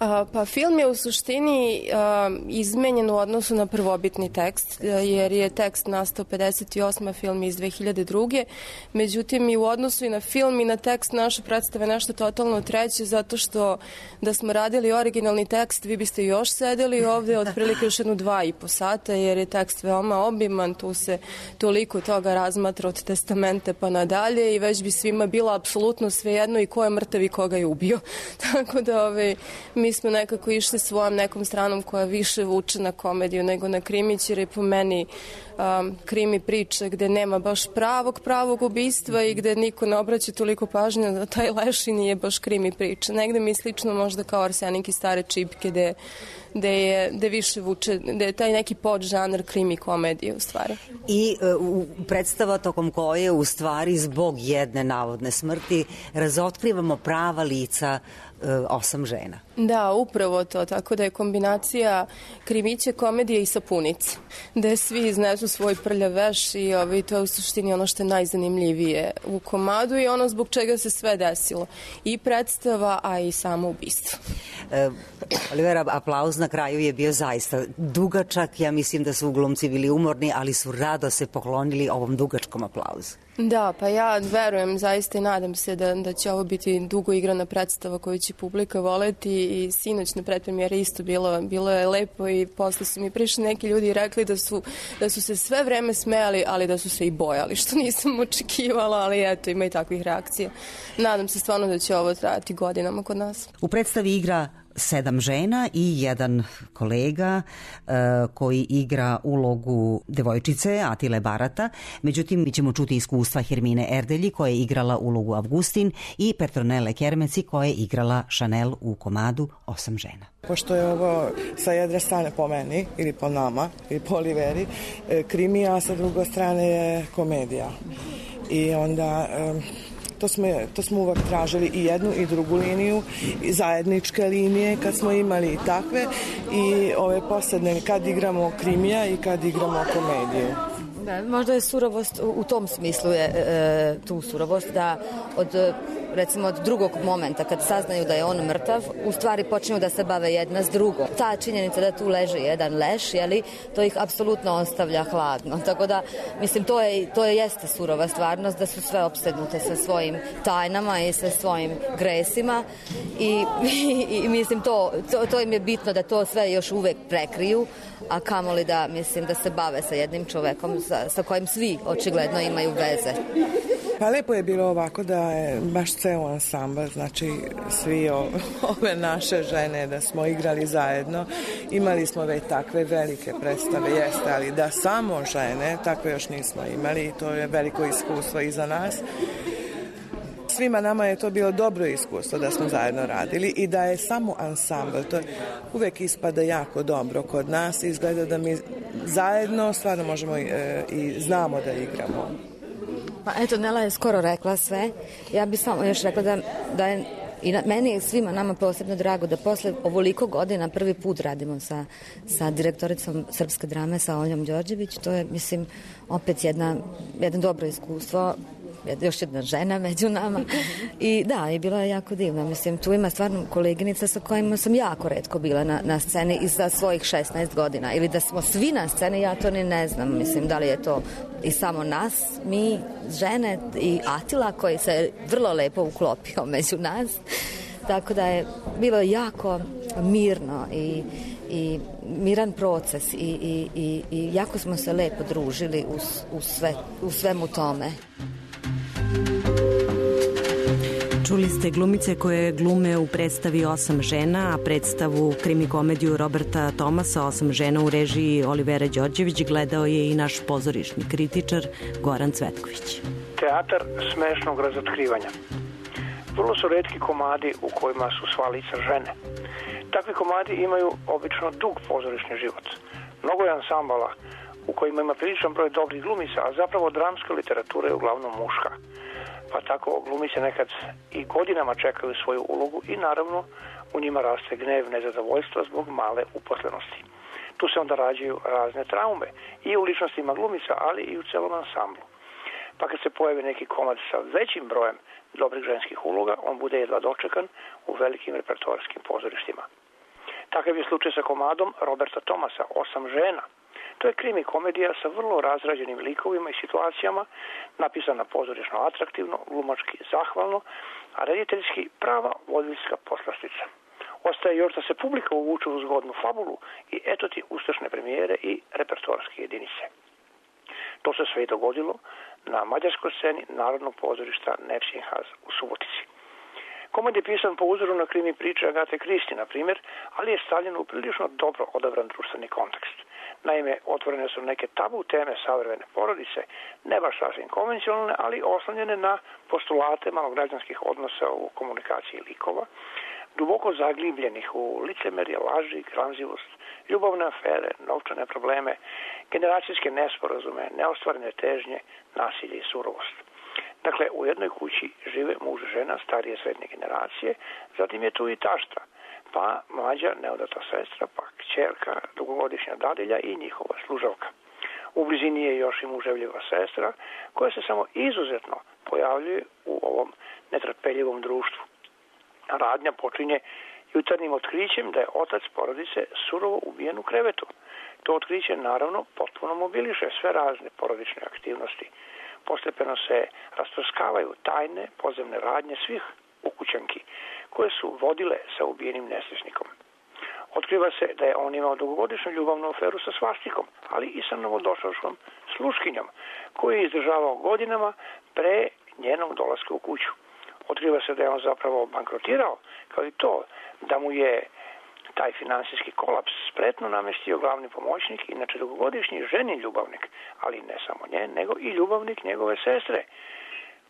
A, pa film je u suštini a, izmenjen u odnosu na prvobitni tekst, jer je tekst nastao pedeset osme, film iz dve hiljade druge. Međutim, i u odnosu i na film i na tekst naše predstave nešto totalno treće, zato što da smo radili originalni tekst, vi biste još sedeli ovde otprilike još jednu dva i po sata, jer je tekst veoma obiman, tu se toliko toga razmatra od testamente pa nadalje i već bi svima bilo apsolutno svejedno i ko je mrtav i koga je ubio. Tako da ove, mi Mi smo nekako išli svojom nekom stranom koja više vuče na komediju nego na krimić, jer je po meni um, krimi priče gde nema baš pravog pravog ubistva i gde niko ne obraća toliko pažnje da taj leš i nije baš krimi priča. Negde mi slično možda kao Arsenik i stare čipke gde gde je gde više vuče, gde je taj neki podžanr krimi komedije u stvari. I uh, predstava tokom koje u stvari zbog jedne navodne smrti razotkrivamo prava lica uh, osam žena. Da, upravo to, tako da je kombinacija krimiće, komedije i sapunice, gde svi iznesu svoj prljav veš i ovaj, to je u suštini ono što je najzanimljivije u komadu i ono zbog čega se sve desilo. I predstava, a i samo ubistvo. Uh, Olivera, aplauz na kraju je bio zaista dugačak. Ja mislim da su glumci bili umorni, ali su rado se poklonili ovom dugačkom aplauzu. Da, pa ja verujem zaista i nadam se da, da će ovo biti dugo igrana predstava koju će publika voleti i sinoć na predpremijeri isto bilo, bilo je lepo i posle su mi prišli neki ljudi i rekli da su, da su se sve vreme smejali, ali da su se i bojali, što nisam očekivala, ali eto, ima i takvih reakcija. Nadam se stvarno da će ovo trajati godinama kod nas. U predstavi igra sedam žena i jedan kolega uh, koji igra ulogu devojčice Atile Barata. Međutim, mi ćemo čuti iskustva Hermine Erdelji koja je igrala ulogu Avgustin i Petronele Kermeci koja je igrala Chanel u komadu Osam žena. Pošto je ovo sa jedne strane po meni ili po nama ili po Oliveri krimi, a sa druge strane je komedija. I onda... Um, To smo, to smo uvek tražili i jednu i drugu liniju, i zajedničke linije kad smo imali i takve i ove posledne kad igramo krimija i kad igramo komediju. Da, možda je surovost u tom smislu je e, tu surovost da od recimo od drugog momenta kad saznaju da je on mrtav, u stvari počinju da se bave jedna s drugom. Ta činjenica da tu leži jedan leš, jeli, to ih apsolutno ostavlja hladno. Tako da, mislim, to je, to je jeste surova stvarnost, da su sve opsednute sa svojim tajnama i sa svojim gresima i, i, i mislim, to, to, to im je bitno da to sve još uvek prekriju, a kamoli da, mislim, da se bave sa jednim čovekom sa, sa kojim svi očigledno imaju veze. Pa lepo je bilo ovako da je baš ceo ansambl, znači svi o, ove naše žene da smo igrali zajedno. Imali smo već takve velike predstave, jeste, ali da samo žene, takve još nismo imali i to je veliko iskustvo i za nas. Svima nama je to bilo dobro iskustvo da smo zajedno radili i da je samo ansambl, to uvek ispada jako dobro kod nas, izgleda da mi zajedno stvarno možemo i, i znamo da igramo. Pa eto, Nela je skoro rekla sve. Ja bih samo još rekla da, da je i na, meni je svima nama posebno drago da posle ovoliko godina prvi put radimo sa, sa direktoricom srpske drame, sa Oljom Đorđević. To je, mislim, opet jedna, jedno dobro iskustvo, još jedna žena među nama. I da, i bila je jako divna. Mislim, tu ima stvarno koleginica sa kojima sam jako retko bila na, na sceni i za svojih šesnaest godina. Ili da smo svi na sceni, ja to ni ne znam. Mislim, da li je to i samo nas, mi, žene i Atila koji se vrlo lepo uklopio među nas. Tako da je bilo jako mirno i, i miran proces i, i, i, i jako smo se lepo družili u, u, sve, u svemu tome. Čuli ste glumice koje glume u predstavi Osam žena, a predstavu krimi-komediju Roberta Tomasa Osam žena u režiji Olivera Đorđević gledao je i naš pozorišni kritičar Goran Cvetković. Teatar smešnog razotkrivanja. Vrlo su retki komadi u kojima su sva lica žene. Takvi komadi imaju obično dug pozorišni život. Mnogo je ansambala u kojima ima priličan broj dobrih glumica, a zapravo dramska literatura je uglavnom muška. Pa tako glumice nekad i godinama čekaju svoju ulogu i naravno u njima raste gnev, nezadovoljstvo zbog male uposlenosti. Tu se se onda rađaju razne traume i u ličnostima glumica, ali i u celom ansamblu. Pa kad se pojavi neki komad sa većim brojem dobrih ženskih uloga, on bude jedva dočekan u velikim repertoarskim pozorištima. Takav je slučaj sa komadom Roberta Thomasa, Osam žena. To je krimi komedija sa vrlo razrađenim likovima i situacijama, napisana pozorišno atraktivno, glumački zahvalno, a rediteljski prava voditeljska poslastica. Ostaje još da se publika uvuče u zgodnu fabulu i eto ti uspešne premijere i repertoarske jedinice. To se sve i dogodilo na mađarskoj sceni Narodnog pozorišta Nepsinhaz u Subotici. Komad je pisan po uzoru na krimi priče Agate Kristi, na primjer, ali je stavljen u prilično dobro odabran društveni kontekst. Naime, otvorene su neke tabu teme savremene porodice, ne baš sasvim konvencionalne, ali oslanjene na postulate malograđanskih odnosa u komunikaciji likova, duboko zaglibljenih u licemerje, laži, gramzivost, ljubavne afere, novčane probleme, generacijske nesporazume, neostvarene težnje, nasilje i surovost. Dakle, u jednoj kući žive muž i žena starije srednje generacije, zatim je tu i tašta, pa mlađa neudata sestra, pa kćerka, dugogodišnja dadilja i njihova služavka. U blizini je još i muževljiva sestra, koja se samo izuzetno pojavljuje u ovom netrpeljivom društvu. Radnja počinje jutarnjim otkrićem da je otac porodice surovo ubijen u krevetu. To otkriće naravno potpuno mobiliše sve razne porodične aktivnosti. Postepeno se rasprskavaju tajne podzemne radnje svih ukućanki koje su vodile sa ubijenim nesrećnikom. Otkriva se da je on imao dugogodišnju ljubavnu aferu sa svastikom, ali i sa novodošlaškom sluškinjom, koju je izdržavao godinama pre njenog dolaska u kuću. Otkriva se da je on zapravo bankrotirao, kao i to da mu je taj finansijski kolaps spretno namestio glavni pomoćnik, inače dugogodišnji ženin ljubavnik, ali ne samo njen, nego i ljubavnik njegove sestre,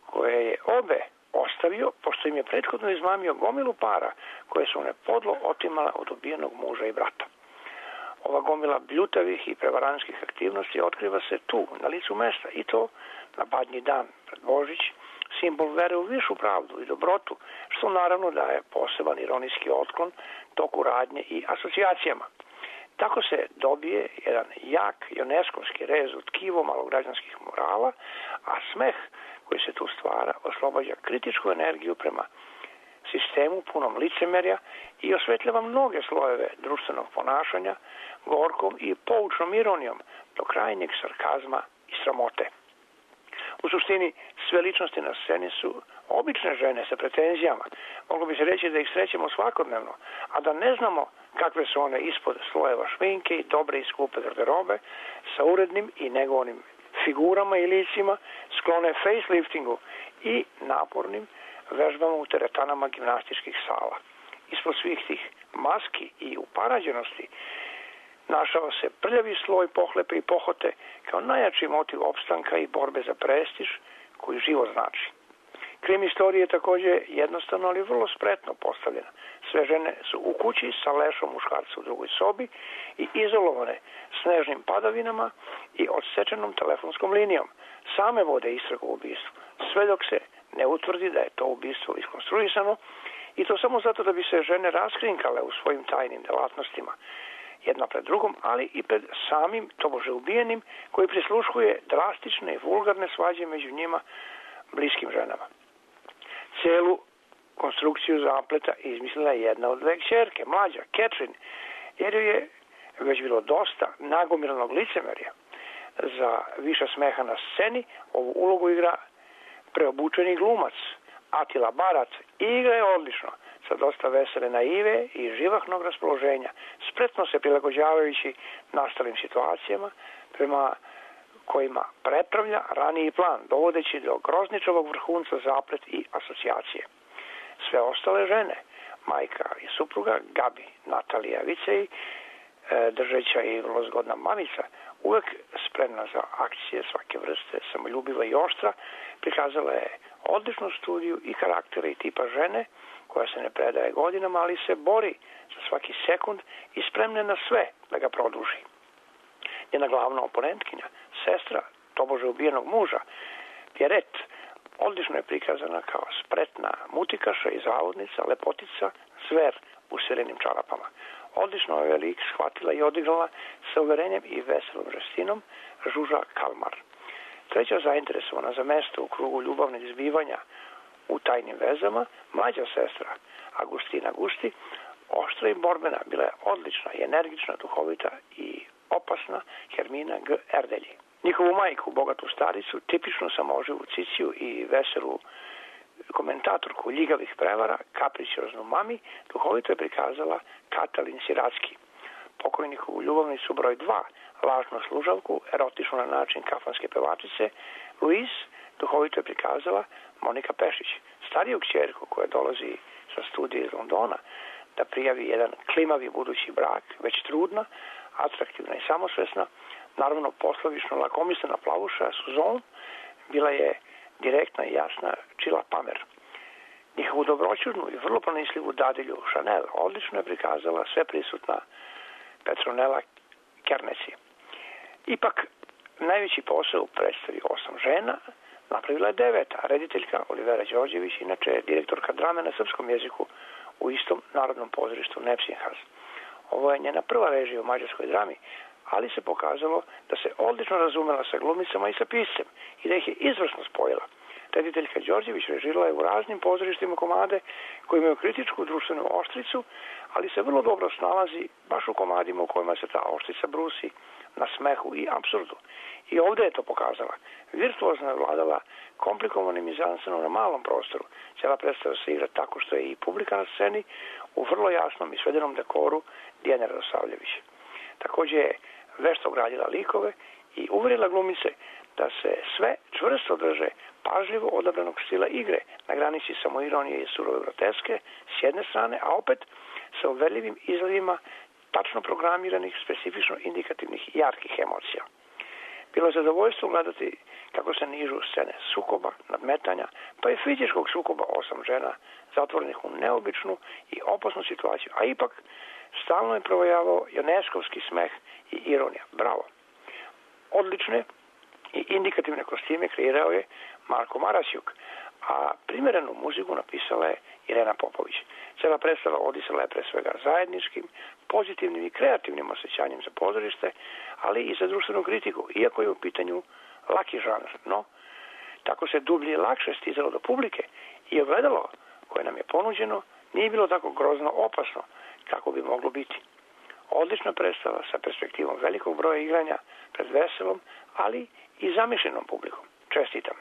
koje je obe ostavio, pošto im je prethodno izmamio gomilu para koje su one podlo otimala od ubijenog muža i brata. Ova gomila bljutavih i prevaranskih aktivnosti otkriva se tu, na licu mesta, i to na badnji dan pred Božić, simbol vere u višu pravdu i dobrotu, što naravno daje poseban ironijski otklon toku radnje i asocijacijama. Tako se dobije jedan jak joneskovski rez od tkivo malograđanskih morala, a smeh koji se tu stvara oslobađa kritičku energiju prema sistemu punom licemerja i osvetljava mnoge slojeve društvenog ponašanja gorkom i poučnom ironijom do krajnjeg sarkazma i sramote. U suštini, sve ličnosti na sceni su obične žene sa pretenzijama. Moglo bi se reći da ih srećemo svakodnevno, a da ne znamo kakve su one ispod slojeva šminke i dobre i skupe garderobe sa urednim i negovanim figurama i licima, sklone faceliftingu i napornim vežbama u teretanama gimnastičkih sala. Ispod svih tih maski i uparađenosti našao se prljavi sloj pohlepe i pohote kao najjači motiv opstanka i borbe za prestiž koji život znači. Krim istorije je također jednostavno, ali vrlo spretno postavljena. Sve žene su u kući sa lešom muškarca u drugoj sobi i izolovane snežnim padavinama i odsečenom telefonskom linijom. Same vode istragu u ubistvu, sve dok se ne utvrdi da je to ubistvo iskonstruisano, i to samo zato da bi se žene raskrinkale u svojim tajnim delatnostima, jedna pred drugom, ali i pred samim tobože ubijenim, koji prisluškuje drastične i vulgarne svađe među njima bliskim ženama. Celu konstrukciju zapleta izmislila je jedna od dve kćerke, mlađa, Catherine, jer joj je već bilo dosta nagomilanog licemerja. Za više smeha na sceni ovu ulogu igra preobučeni glumac Atila Barat i igra je odlično, sa dosta vesele naive i živahnog raspoloženja, spretno se prilagođavajući nastalim situacijama prema kojima prepravlja raniji plan, dovodeći do grozničavog vrhunca zaplet i asocijacije. Sve ostale žene, majka i supruga, Gabi, Natalija Vicej, držeća i vrlo zgodna mamica, uvek spremna za akcije svake vrste, samoljubiva i oštra, prikazala je odličnu studiju i karaktera i tipa žene, koja se ne predaje godinama, ali se bori za svaki sekund i spremna na sve da ga produži. Njena glavna oponentkinja, sestra tobože ubijenog muža, Pierrette, odlično je prikazana kao spretna mutikaša i zavodnica, lepotica, zver u sirenim čarapama. Odlično je lik shvatila i odigrala sa uverenjem i veselom žestinom Žuža Kalmar. Treća zainteresovana za mesto u krugu ljubavnih zbivanja u tajnim vezama, mlađa sestra Agustina Gusti, oštra i borbena, bila je odlična i energična, duhovita i opasna Hermina G. Erdelji. Njihovu majku, bogatu staricu, tipično samoživu ciciju i veselu komentatorku ljigavih prevara, kapricioznu mami, duhovito je prikazala Katalin Siracki. Pokojnikovu ljubavnicu broj dva, lažnu služavku, erotičnu na način kafanske pevačice, Luis, duhovito je prikazala Monika Pešić. Stariju kćerku koja dolazi sa studija iz Londona da prijavi jedan klimavi budući brak, već trudna, atraktivna i samosvesna, naravno poslovično lakomislena plavuša Suzon, bila je direktna i jasna Čila Pamer. Njihovu dobroćudnu i vrlo pronislivu dadilju Chanel odlično je prikazala sve prisutna Petronela Kerneci. Ipak, najveći posao u predstavi Osam žena napravila je deveta, rediteljka Olivera Đorđević, inače direktorka drame na srpskom jeziku u istom narodnom pozorištu Nepsinhas. Ovo je njena prva režija u mađarskoj drami, ali se pokazalo da se odlično razumela sa glumicama i sa piscem i da ih je izvrsno spojila. Rediteljka Đorđević režirala je u raznim pozorištima komade koji imaju kritičku društvenu oštricu, ali se vrlo dobro snalazi baš u komadima u kojima se ta oštrica brusi na smehu i apsurdu. I ovdje je to pokazala. Virtuozno je vladala komplikovanim mizansenom na malom prostoru. Cijela predstava se igra tako što je i publika na sceni u vrlo jasnom i svedenom dekoru Dijana Radosavljević. Također je vešto gradila likove i uvjerila glumice da se sve čvrsto drže pažljivo odabranog stila igre na granici samoironije i surove groteske s jedne strane, a opet sa uverljivim izgledima tačno programiranih, specifično indikativnih i jarkih emocija. Bilo je zadovoljstvo gledati kako se nižu scene sukoba, nadmetanja, pa i fizičkog sukoba osam žena, zatvorenih u neobičnu i opasnu situaciju, a ipak stalno je provojavao joneskovski smeh i ironija. Bravo! Odlične i indikativne kostime kreirao je Marko Marasjuk, a primjerenu muziku napisala je Irena Popović. Cela predstava odisala je pre svega zajedničkim, pozitivnim i kreativnim osjećanjem za pozorište, ali i za društvenu kritiku, iako je u pitanju laki žanr. No, tako se dublje i lakše stizalo do publike i ogledalo koje nam je ponuđeno nije bilo tako grozno opasno kako bi moglo biti. Odlična predstava sa perspektivom velikog broja igranja pred veselom, ali i zamišljenom publikom. Čestitam.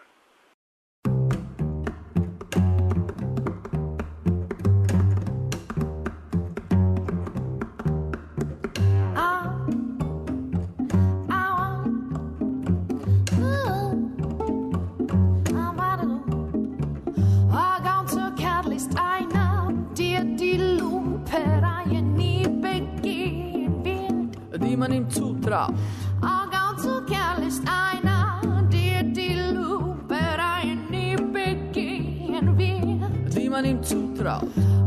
Man im zutraut. Och ganz så kärleks aina, det till lupereien i bäcken vet. Wie man ihm zutraut.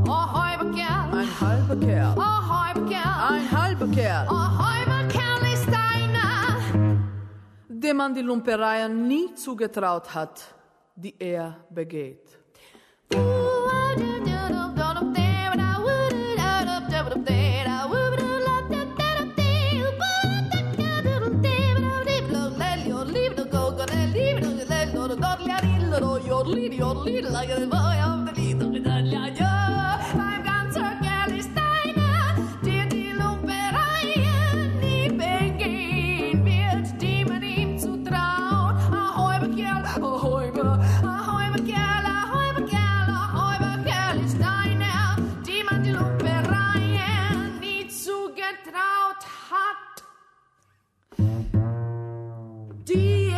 Och halber Kerl. Ein halber Kerl. Och halber Kerl. Ein halber Kerl. Och halber Kerl ist einer, dem man die Lumpereien nie zugetraut hat, die er begeht. Yodelity, yodelity, like a boy of the leader, yeah. I'm ganz so kärlich deiner, dir die Lumpereien nie begehen wird, die man ihm zutraut. Ahoi, Kerl, ahoi, ahoi, Kerl, ahoi, Kerl, ahoi, Kerl ist deiner, die man die Lumpereien nie zugetraut hat. Die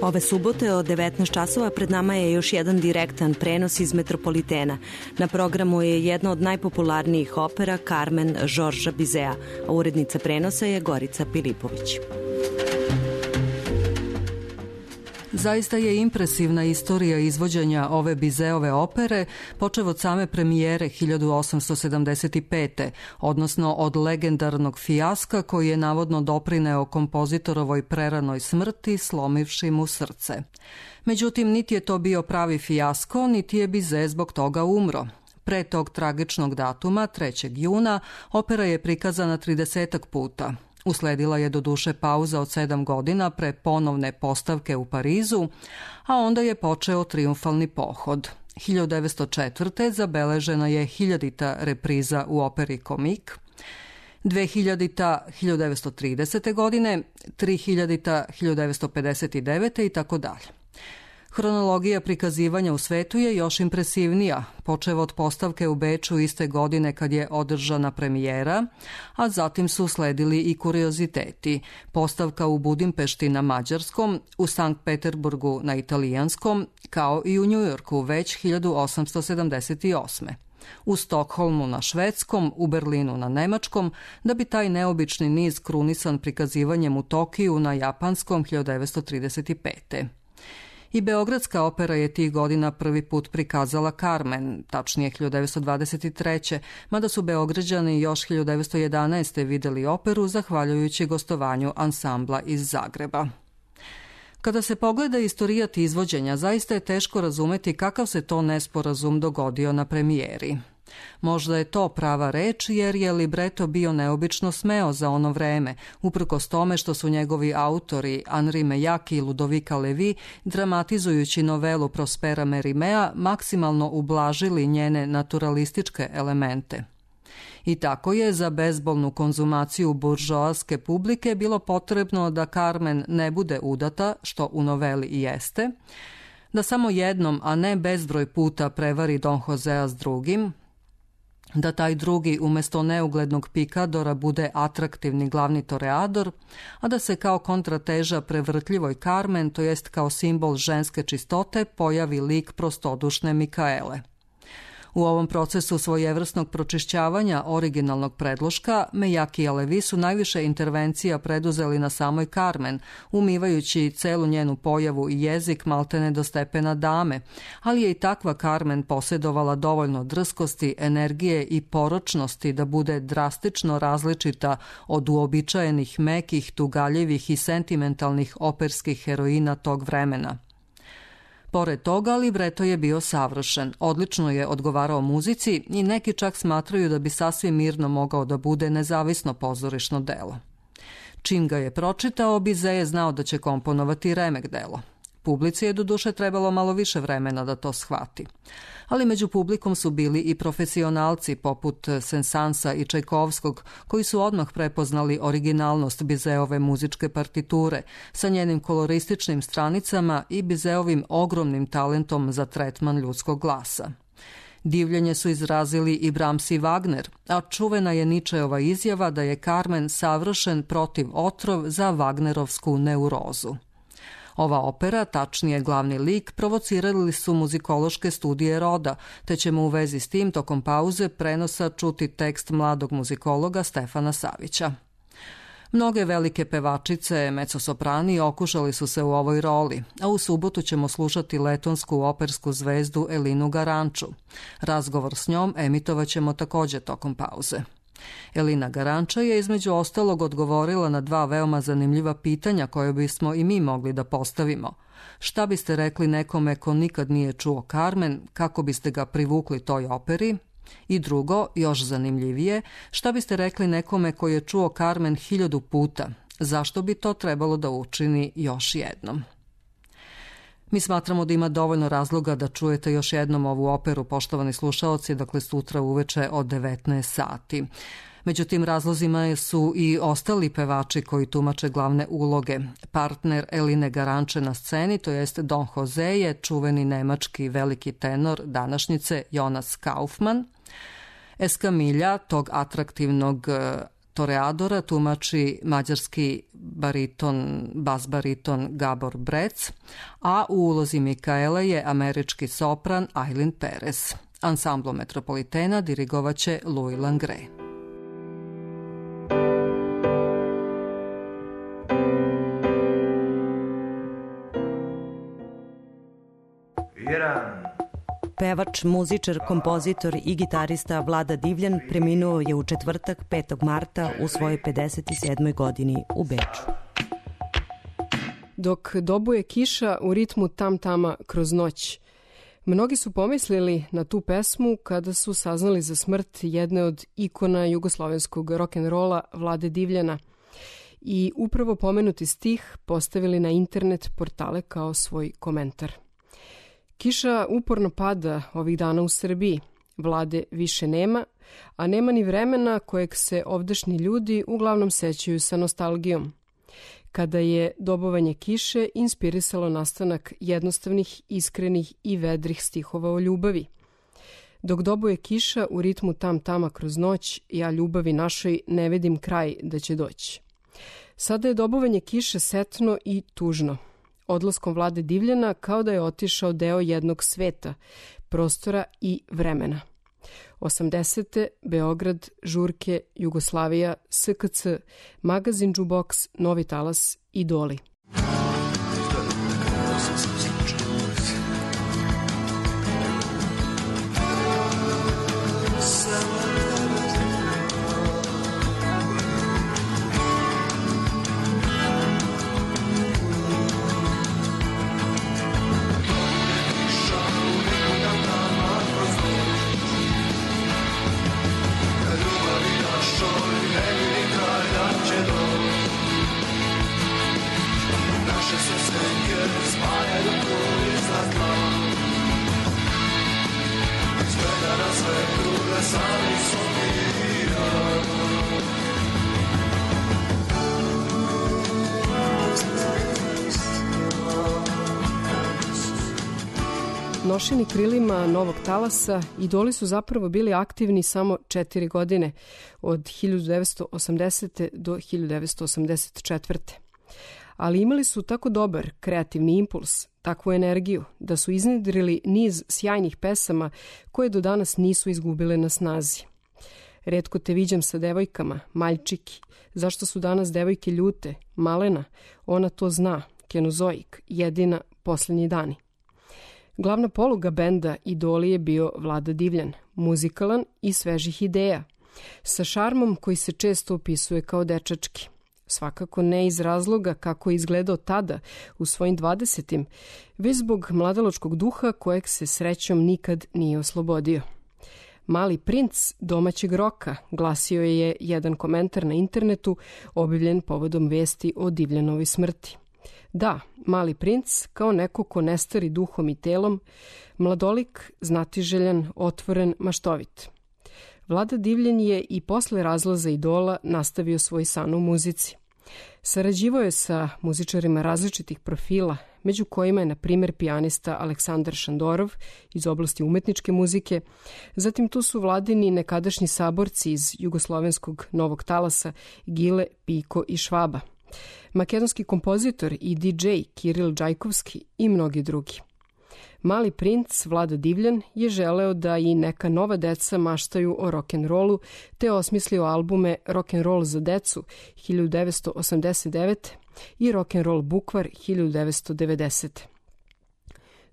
Ove subote od devetnaest časova pred nama je još jedan direktan prenos iz Metropolitena. Na programu je jedna od najpopularnijih opera Carmen Žorža Bizea, a urednica prenosa je Gorica Pilipović. Zaista je impresivna istorija izvođenja ove Bizeove opere, počev od same premijere hiljadu osamsto sedamdeset pete. odnosno od legendarnog fijaska koji je navodno doprineo kompozitorovoj preranoj smrti, slomivši mu srce. Međutim, niti je to bio pravi fijasko, niti je Bizet zbog toga umro. Pre tog tragičnog datuma, trećeg juna, opera je prikazana tridesetak puta. Usledila je doduše pauza od sedam godina pre ponovne postavke u Parizu, a onda je počeo triumfalni pohod. hiljadu devetsto četvrte. zabeležena je hiljadita repriza u operi Komik, dvehiljadita. hiljadu devetsto tridesete. godine, trihiljadita. hiljadu devetsto pedeset devete. i tako dalje. Hronologija prikazivanja u svetu je još impresivnija, počev od postavke u Beču iste godine kad je održana premijera, a zatim su sledili i kurioziteti. Postavka u Budimpešti na mađarskom, u Sankt Peterburgu na italijanskom, kao i u Njujorku već hiljadu osamsto sedamdeset osme. U Stokholmu na švedskom, u Berlinu na nemačkom, da bi taj neobični niz krunisan prikazivanjem u Tokiju na japanskom hiljadu devetsto trideset pete. I Beogradska opera je tih godina prvi put prikazala Carmen, tačnije hiljadu devetsto dvadeset treće. mada su Beograđani još hiljadu devetsto jedanaeste. videli operu zahvaljujući gostovanju ansambla iz Zagreba. Kada se pogleda istorijat izvođenja, zaista je teško razumeti kakav se to nesporazum dogodio na premijeri. Možda je to prava reč jer je libreto bio neobično smeo za ono vreme, uprkos tome što su njegovi autori Henri Meilhac i Ludovica Levi, dramatizujući novelu Prospera Merimea, maksimalno ublažili njene naturalističke elemente. I tako je za bezbolnu konzumaciju buržoaske publike bilo potrebno da Carmen ne bude udata, što u noveli i jeste, da samo jednom, a ne bezbroj puta prevari Don Josea s drugim, da taj drugi umesto neuglednog pikadora bude atraktivni glavni toreador, a da se kao kontrateža prevrtljivoj Carmen, to jest kao simbol ženske čistote, pojavi lik prostodušne Mikaele. U ovom procesu svojevrsnog pročišćavanja originalnog predloška, Meilhac i Levi su najviše intervencija preduzeli na samoj Carmen, umivajući celu njenu pojavu i jezik maltene do stepena dame, ali je i takva Carmen posjedovala dovoljno drskosti, energije i poročnosti da bude drastično različita od uobičajenih mekih, tugaljivih i sentimentalnih operskih heroina tog vremena. Pored toga, libreto je bio savršen, odlično je odgovarao muzici i neki čak smatraju da bi sasvim mirno mogao da bude nezavisno pozorišno delo. Čim ga je pročitao, Bizet je znao da će komponovati remek delo. Publici je doduše trebalo malo više vremena da to shvati. Ali među publikom su bili i profesionalci poput Sensansa i Čajkovskog, koji su odmah prepoznali originalnost Bizeove muzičke partiture sa njenim kolorističnim stranicama i Bizeovim ogromnim talentom za tretman ljudskog glasa. Divljenje su izrazili i Brahms i Wagner, a čuvena je Ničeova izjava da je Carmen savršen protiv otrov za Wagnerovsku neurozu. Ova opera, tačnije glavni lik, provocirali su muzikološke studije roda, te ćemo u vezi s tim tokom pauze prenosa čuti tekst mladog muzikologa Stefana Savića. Mnoge velike pevačice, mezzosoprani, okušali su se u ovoj roli, a u subotu ćemo slušati letonsku opersku zvezdu Elinu Garanču. Razgovor s njom emitovat ćemo također tokom pauze. Elina Garanča je između ostalog odgovorila na dva veoma zanimljiva pitanja koje bismo i mi mogli da postavimo. Šta biste rekli nekome ko nikad nije čuo Carmen, kako biste ga privukli toj operi? I drugo, još zanimljivije, šta biste rekli nekome ko je čuo Carmen hiljadu puta? Zašto bi to trebalo da učini još jednom? Mi smatramo da ima dovoljno razloga da čujete još jednom ovu operu, poštovani slušaoci, dakle sutra uveče od devetnaest sati. Među tim razlozima su i ostali pevači koji tumače glavne uloge. Partner Eline Garanče na sceni, to jest Don Jose, je čuveni nemački veliki tenor današnjice Jonas Kaufmann. Eskamilja, tog atraktivnog toreadora, tumači mađarski bariton, bas bariton Gabor Brec, a u ulozi Mikaele je američki sopran Eileen Perez. Ansamblo Metropolitena dirigovaće Louis Langre. Pevač, muzičar, kompozitor i gitarista Vlada Divljan preminuo je u četvrtak petog marta u svojoj pedeset sedmoj godini u Beču. Dok dobuje kiša u ritmu tam-tama kroz noć. Mnogi su pomislili na tu pesmu kada su saznali za smrt jedne od ikona jugoslovenskog rock'n'rolla Vlade Divljana i upravo pomenuti stih postavili na internet portale kao svoj komentar. Kiša uporno pada ovih dana u Srbiji. Vlade više nema, a nema ni vremena kojeg se ovdašnji ljudi uglavnom sećaju sa nostalgijom. Kada je dobovanje kiše inspirisalo nastanak jednostavnih, iskrenih i vedrih stihova o ljubavi. Dok dobuje kiša u ritmu tam-tama kroz noć, ja ljubavi našoj ne vidim kraj da će doći. Sada je dobovanje kiše setno i tužno. Odlaskom Vlade Divljana kao da je otišao deo jednog sveta, prostora i vremena. osamdesete. Beograd, žurke, Jugoslavija, S K C, magazin Džuboks, Novi talas, Idoli. Nošeni krilima novog talasa, Idoli su zapravo bili aktivni samo četiri godine, od hiljadu devetsto osamdesete. do hiljadu devetsto osamdeset četvrte. Ali imali su tako dobar kreativni impuls, takvu energiju, da su iznedrili niz sjajnih pesama koje do danas nisu izgubile na snazi. Retko te viđam sa devojkama, Maljčiki, zašto su danas devojke ljute, Malena, ona to zna, Kenozoik, jedina, Poslednji dani. Glavna poluga benda Idoli je bio Vlada Divljan, muzikalan i svežih ideja, sa šarmom koji se često opisuje kao dečački. Svakako ne iz razloga kako je izgledao tada u svojim dvadesetim, već zbog mladalačkog duha kojeg se srećom nikad nije oslobodio. Mali princ domaćeg roka, glasio je jedan komentar na internetu objavljen povodom vesti o Divljanovoj smrti. Da, Mali princ, kao neko ko ne stari duhom i telom, mladolik, znatiželjan, otvoren, maštovit. Vlada Divljan je i posle razlaza Idola nastavio svoj san u muzici. Sarađivao je sa muzičarima različitih profila, među kojima je, na primjer, pijanista Aleksandar Šandorov iz oblasti umetničke muzike, zatim tu su Vladini nekadašnji saborci iz jugoslovenskog novog talasa Gile, Piko i Švaba, makedonski kompozitor i D J Kiril Đajkovski i mnogi drugi. Mali princ Vlada Divljan je želeo da i neka nova deca maštaju o rock'n'rollu, te osmislio albume Rock'n'roll za decu hiljadu devetsto osamdeset devete. i Rock'n'roll Bukvar hiljadu devetsto devedesete.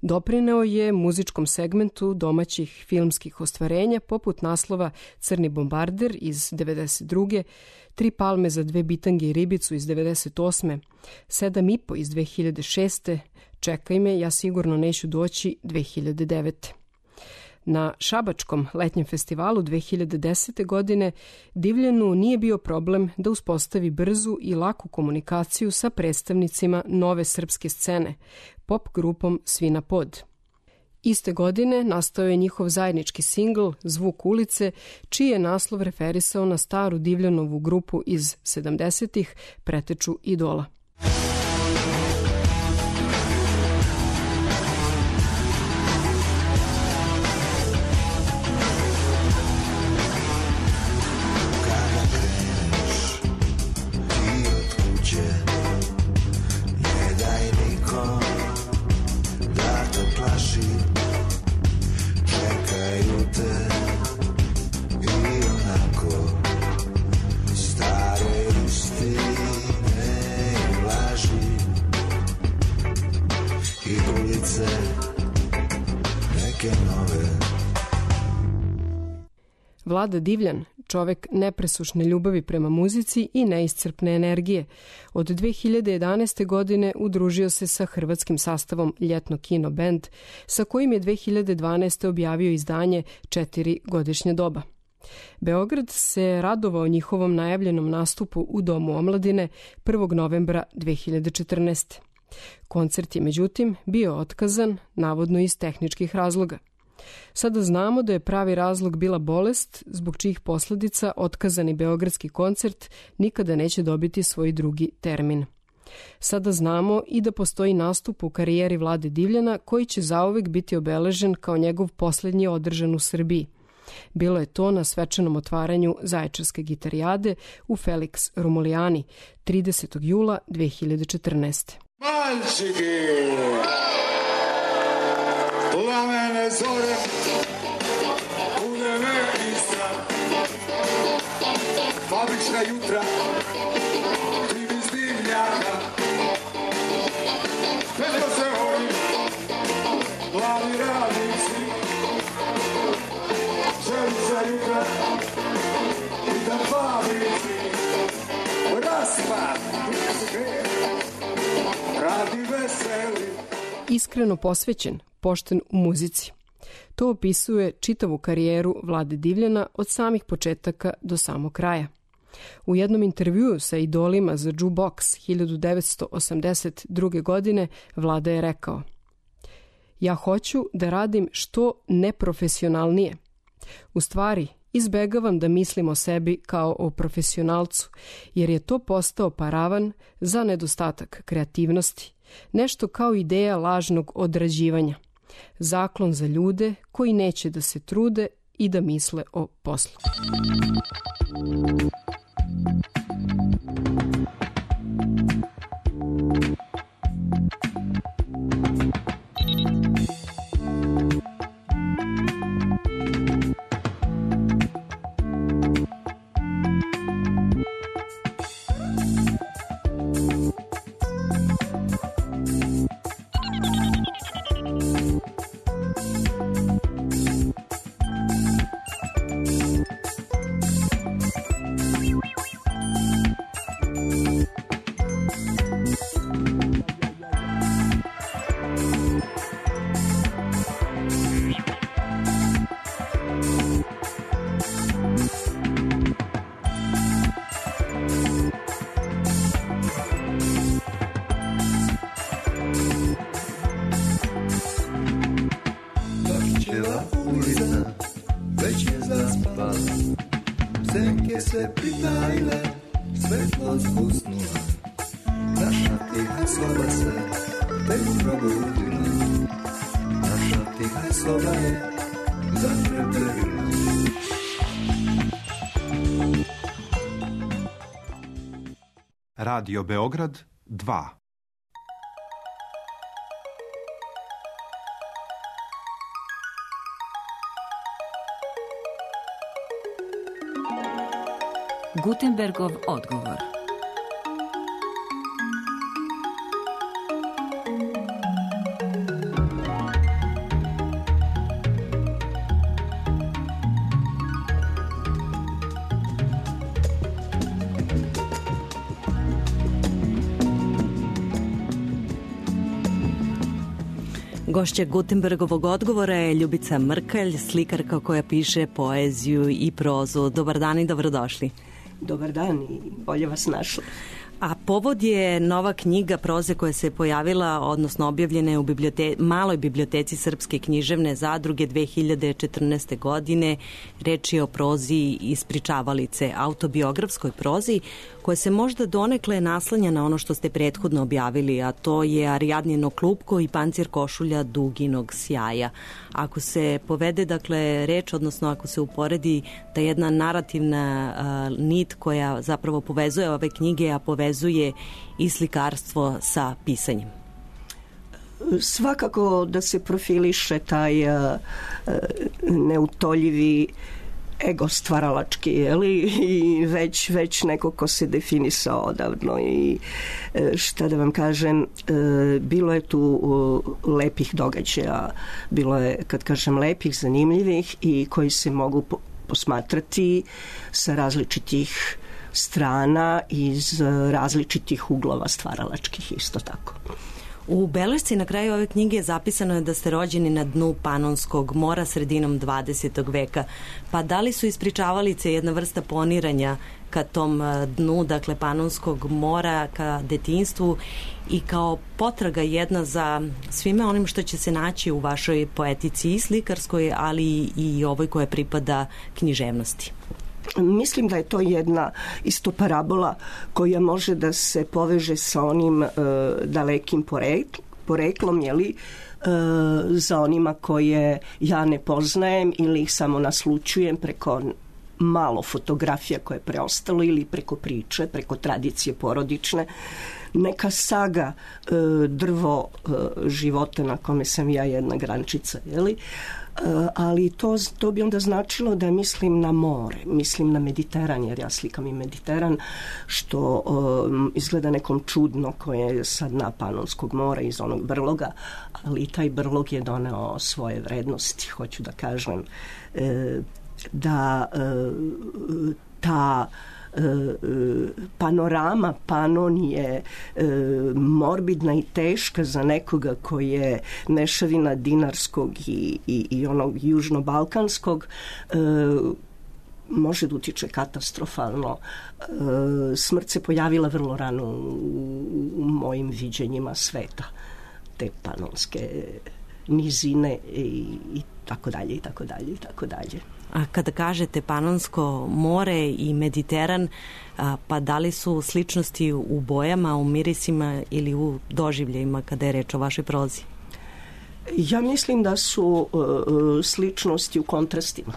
Doprineo je muzičkom segmentu domaćih filmskih ostvarenja poput naslova Crni bombarder iz devedeset druge. Tri palme za dve bitange i ribicu iz devedeset osme. Sedam i po iz dve hiljade šeste. Čekaj me, ja sigurno neću doći dve hiljade devete. Na Šabačkom letnjem festivalu dve hiljade desete. godine Divljanu nije bio problem da uspostavi brzu i laku komunikaciju sa predstavnicima nove srpske scene, pop grupom Svi na pod. Iste godine nastao je njihov zajednički singl Zvuk ulice, čiji je naslov referisao na staru Divljanovu grupu iz sedamdesetih, preteču Idola. Stare istine Vlada Divljan, čovek nepresušne ljubavi prema muzici i neiscrpne energije. Od dve hiljade jedanaeste. godine udružio se sa hrvatskim sastavom Ljetno kino bend, sa kojim je dve hiljade dvanaeste. objavio izdanje Četiri godišnje doba. Beograd se radovao njihovom najavljenom nastupu u Domu omladine prvog novembra dve hiljade četrnaeste. Koncert je međutim bio otkazan, navodno iz tehničkih razloga. Sada znamo da je pravi razlog bila bolest, zbog čijih posledica otkazani beogradski koncert nikada neće dobiti svoj drugi termin. Sada znamo i da postoji nastup u karijeri Vlade Divljana koji će zauvek biti obeležen kao njegov posljednji održan u Srbiji. Bilo je to na svečanom otvaranju Zaječarske gitarijade u Felix Romulijani tridesetog jula dve hiljade četrnaeste. Malčiki, plamene zore, udeme Istra, fabrička jutra, tri bez divljaka, petko se hoji, glavi radnici, želica jutra, i da fabrici, raspad, radi veseli. Iskreno posvećen, pošten u muzici. To opisuje čitavu karijeru Vlade Divljana od samih početaka do samog kraja. U jednom intervjuu sa idolima za Jukebox hiljadu devetsto osamdeset druge. godine Vlada je rekao: "Ja hoću da radim što neprofesionalnije. U stvari, izbegavam da mislim o sebi kao o profesionalcu, jer je to postao paravan za nedostatak kreativnosti, nešto kao ideja lažnog odrađivanja, zaklon za ljude koji neće da se trude i da misle o poslu." se pritajile, svetlo zhusnula, naša tiha soba se tek probudila, naša tiha soba je zatrepelila. Radio Beograd dva. Gutenbergov odgovor. Gošća Gutenbergovog odgovora je Ljubica Mrkalj, slikarka koja piše poeziju i prozu. Dobar dan i dobrodošli. Dobar dan i bolje vas našla. A povod je nova knjiga proze koja se pojavila, odnosno objavljena je u bibliote- maloj biblioteci Srpske književne zadruge dve hiljade četrnaeste. godine. Reč je o prozi ispričavalice, autobiografskoj prozi, koja se možda donekle naslanja na ono što ste prethodno objavili, a to je Arijadnino klupko i Pancir košulja duginog sjaja. Ako se povede, dakle, reč, odnosno ako se uporedi ta jedna narativna uh, nit koja zapravo povezuje ove knjige, a povezuje i slikarstvo sa pisanjem. Svakako da se profiliše taj uh, neutoljivi ego stvaralački, jeli? I već, već neko ko se definisao odavno i šta da vam kažem, bilo je tu lepih događaja, bilo je, kad kažem lepih, zanimljivih i koji se mogu posmatrati sa različitih strana, iz različitih uglova stvaralačkih isto tako. U belešci na kraju ove knjige zapisano je da ste rođeni na dnu Panonskog mora sredinom dvadesetog veka. Pa da li su ispričavalice jedna vrsta poniranja ka tom dnu, dakle Panonskog mora, ka detinjstvu i kao potraga jedna za svime onim što će se naći u vašoj poetici i slikarskoj, ali i ovoj koja pripada književnosti? Mislim da je to jedna isto parabola koja može da se poveže sa onim e, dalekim porekl, poreklom, jeli, e, za onima koje ja ne poznajem ili ih samo naslučujem preko malo fotografija koje je preostalo ili preko priče, preko tradicije porodične. Neka saga e, drvo e, života na kome sam ja jedna grančica, jeli? Ali to, to bi onda značilo da mislim na more, mislim na Mediteran, jer ja slikam i Mediteran, što um, izgleda nekom čudno koje je sad na Panonskog mora iz onog brloga, ali taj brlog je doneo svoje vrednosti, hoću da kažem, e, da e, ta panorama Panon je e, morbidna i teška za nekoga koji je mešavina dinarskog i, i, i onog južno-balkanskog, e, može da utiče katastrofalno. E, smrt se pojavila vrlo rano u, u mojim viđenjima sveta, te panonske nizine i, i tako dalje i tako dalje i tako dalje. A kada kažete Panonsko more i Mediteran, pa da li su sličnosti u bojama, u mirisima ili u doživljajima kada je reč o vašoj prozi? Ja mislim da su uh, sličnosti u kontrastima,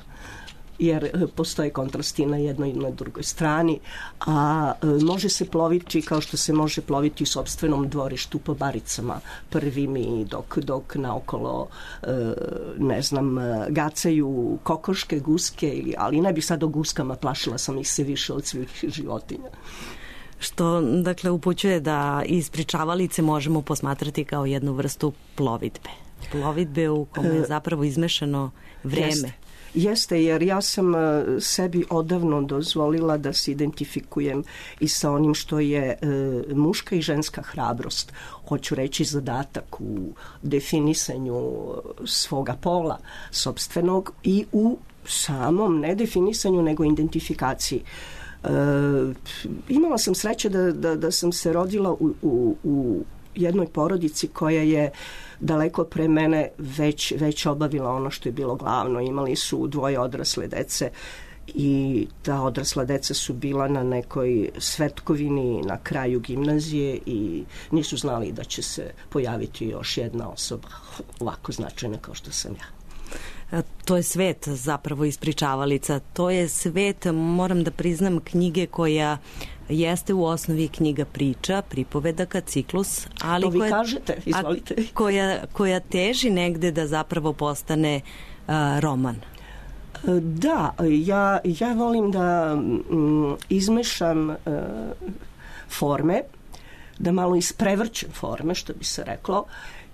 jer postoje kontrasti na jednoj i na drugoj strani, a uh, može se ploviti kao što se može ploviti u sopstvenom dvorištu po baricama prvim i dok, dok naokolo uh, ne znam, gacaju kokoške, guske, ali ne bih sad o guskama, plašila sam ih se više od svih životinja. Što, dakle, upućuje da ispričavalice možemo posmatrati kao jednu vrstu plovidbe. Plovidbe u kome je zapravo izmešano vreme. Jeste. Jeste, jer ja sam sebi odavno dozvolila da se identifikujem i sa onim što je e, muška i ženska hrabrost. Hoću reći zadatak u definisanju svoga pola sopstvenog i u samom ne definisanju nego identifikaciji. E, imala sam sreće da, da, da sam se rodila u, u, u jednoj porodici koja je daleko pre mene već, već obavila ono što je bilo glavno. Imali su dvoje odrasle dece i ta odrasla deca su bila na nekoj svetkovini na kraju gimnazije i nisu znali da će se pojaviti još jedna osoba ovako značajna kao što sam ja. To je svet zapravo ispričavalica. To je svet, moram da priznam, knjige koja jeste u osnovi knjiga priča, pripovedaka, ciklus, ali to vi koja, kažete, izvolite. A, koja, koja teži negde da zapravo postane uh, roman. Da, ja, ja volim da mm, izmešam uh, forme, da malo isprevrćem forme, što bi se reklo,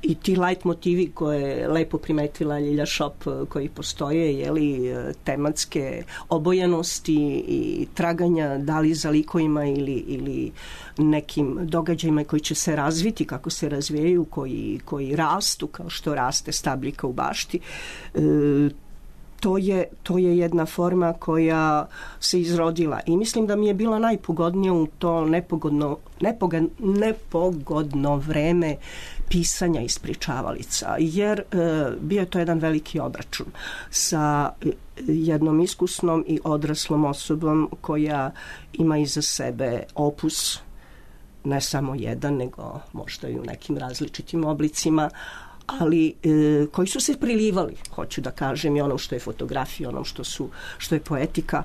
i ti light motivi koje je lepo primetila Ljilja Šop koji postoje, jeli, tematske obojanosti i traganja da li za likovima ili, ili nekim događajima koji će se razviti kako se razvijaju, koji, koji rastu kao što raste stabljika u bašti. E, To je, to je jedna forma koja se izrodila i mislim da mi je bila najpogodnija u to nepogodno, nepogod, nepogodno vreme pisanja ispričavalica, jer e, bio je to jedan veliki obračun sa jednom iskusnom i odraslom osobom koja ima iza sebe opus, ne samo jedan, nego možda i u nekim različitim oblicima, ali e, koji su se prilivali, hoću da kažem, i onom što je fotografija, onom što, su, što je poetika,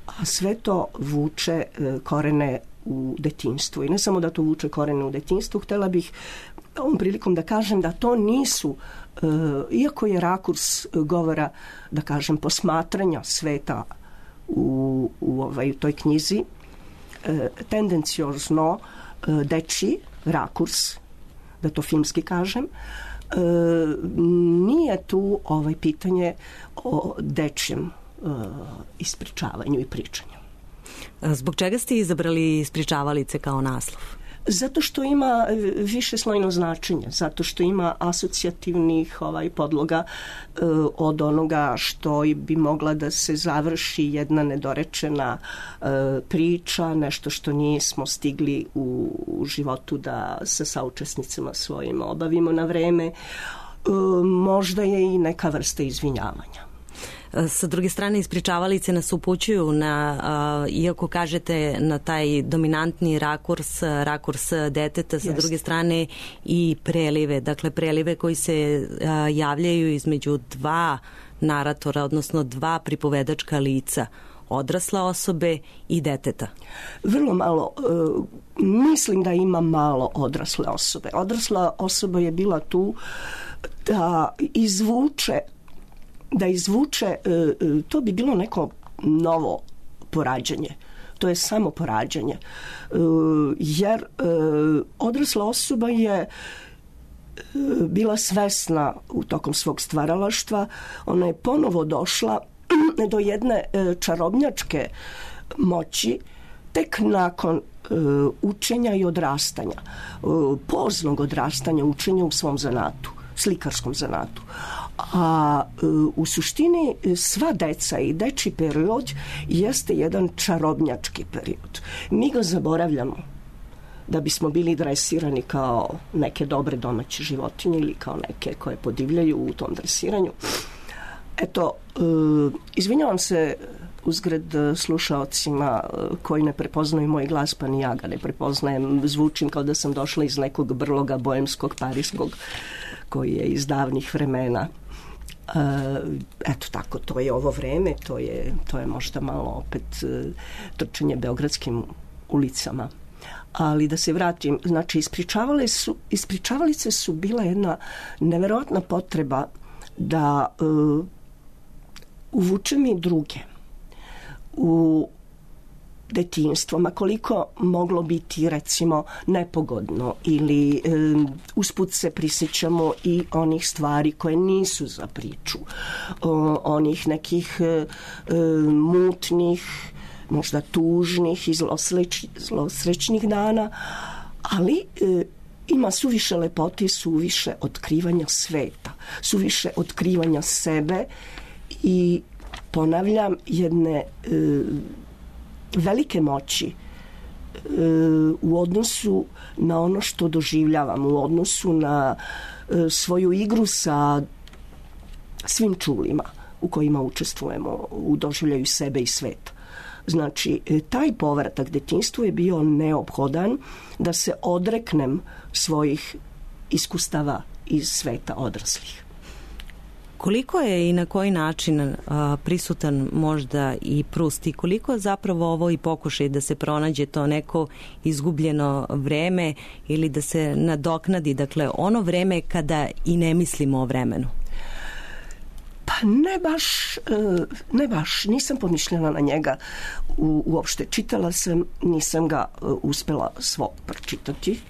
a sve to vuče e, korene u detinjstvu. I ne samo da to vuče korene u detinjstvu, htela bih ovom prilikom da kažem da to nisu, e, iako je rakurs govora, da kažem, posmatranja sveta u, u ovaj, toj knjizi, e, tendenciozno e, dečiji rakurs, da to filmski kažem, E, nije tu ovaj pitanje o dečjem ispričavanju i pričanju. Zbog čega ste izabrali ispričavalice kao naslov? Zato što ima više slojno značenje, zato što ima asocijativnih ovaj, podloga e, od onoga što bi mogla da se završi jedna nedorečena e, priča, nešto što nismo stigli u, u životu da sa saučesnicima svojim obavimo na vreme. E, možda je i neka vrsta izvinjavanja. Sa druge strane, ispričavalice nas upućuju na, uh, iako kažete na taj dominantni rakurs, rakurs deteta, sa Jest. druge strane i prelive, dakle prelive koji se uh, javljaju između dva naratora, odnosno dva pripovedačka lica, odrasla osobe i deteta. Vrlo malo, uh, mislim da ima malo odrasle osobe. Odrasla osoba je bila tu da izvuče da izvuče, to bi bilo neko novo porađanje. To je samo porađanje. Jer odrasla osoba je bila svesna u tokom svog stvaralaštva. Ona je ponovo došla do jedne čarobnjačke moći tek nakon učenja i odrastanja. Poznog odrastanja, učenja u svom zanatu, slikarskom zanatu. A u suštini sva deca i deči period jeste jedan čarobnjački period. Mi ga zaboravljamo da bismo bili dresirani kao neke dobre domaće životinje ili kao neke koje podivljaju u tom dresiranju. Eto, izvinjavam se uzgred slušaocima koji ne prepoznaju moj glas, pa ni ja ga ne prepoznajem. Zvučim kao da sam došla iz nekog brloga boemskog, parijskog, koji je iz davnih vremena. Uh, eto tako, to je ovo vreme, to je, to je možda malo opet uh, trčanje beogradskim ulicama. Ali da se vratim, znači ispričavale su, ispričavalice su bila jedna neverovatna potreba da uh, uvučem i druge u detinjstvo, ma koliko moglo biti recimo nepogodno ili e, usput se prisjećamo i onih stvari koje nisu za priču, o, onih nekih e, e, mutnih, možda tužnih i zlosreč, zlosrećnih dana, ali e, ima suviše lepote i suviše otkrivanja sveta, suviše otkrivanja sebe i ponavljam jedne e, velike moći e, u odnosu na ono što doživljavam, u odnosu na e, svoju igru sa svim čulima u kojima učestvujemo u doživljaju sebe i sveta. Znači, e, taj povratak detinjstvu je bio neophodan da se odreknem svojih iskustava iz sveta odraslih. Koliko je i na koji način a, prisutan možda i Prust i koliko zapravo ovo i pokušaj da se pronađe to neko izgubljeno vreme ili da se nadoknadi, dakle ono vreme kada i ne mislimo o vremenu? Pa ne baš, ne baš, nisam pomišljena na njega u, uopšte. Čitala sam, nisam ga uspela svo pročitati.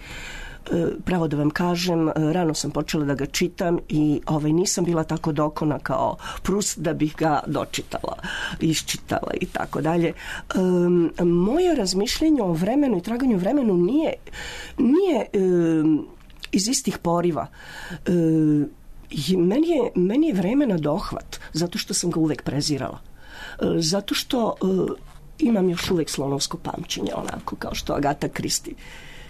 Pravo da vam kažem, rano sam počela da ga čitam i ovaj, nisam bila tako dokona kao Prust da bih ga dočitala, iščitala i tako dalje. Um, moje razmišljenje o vremenu i traganju vremenu nije, nije um, iz istih poriva. Um, meni, je, meni je vreme na dohvat, zato što sam ga uvek prezirala. Um, zato što um, imam još uvek slonovsko pamćenje, onako kao što Agata Kristi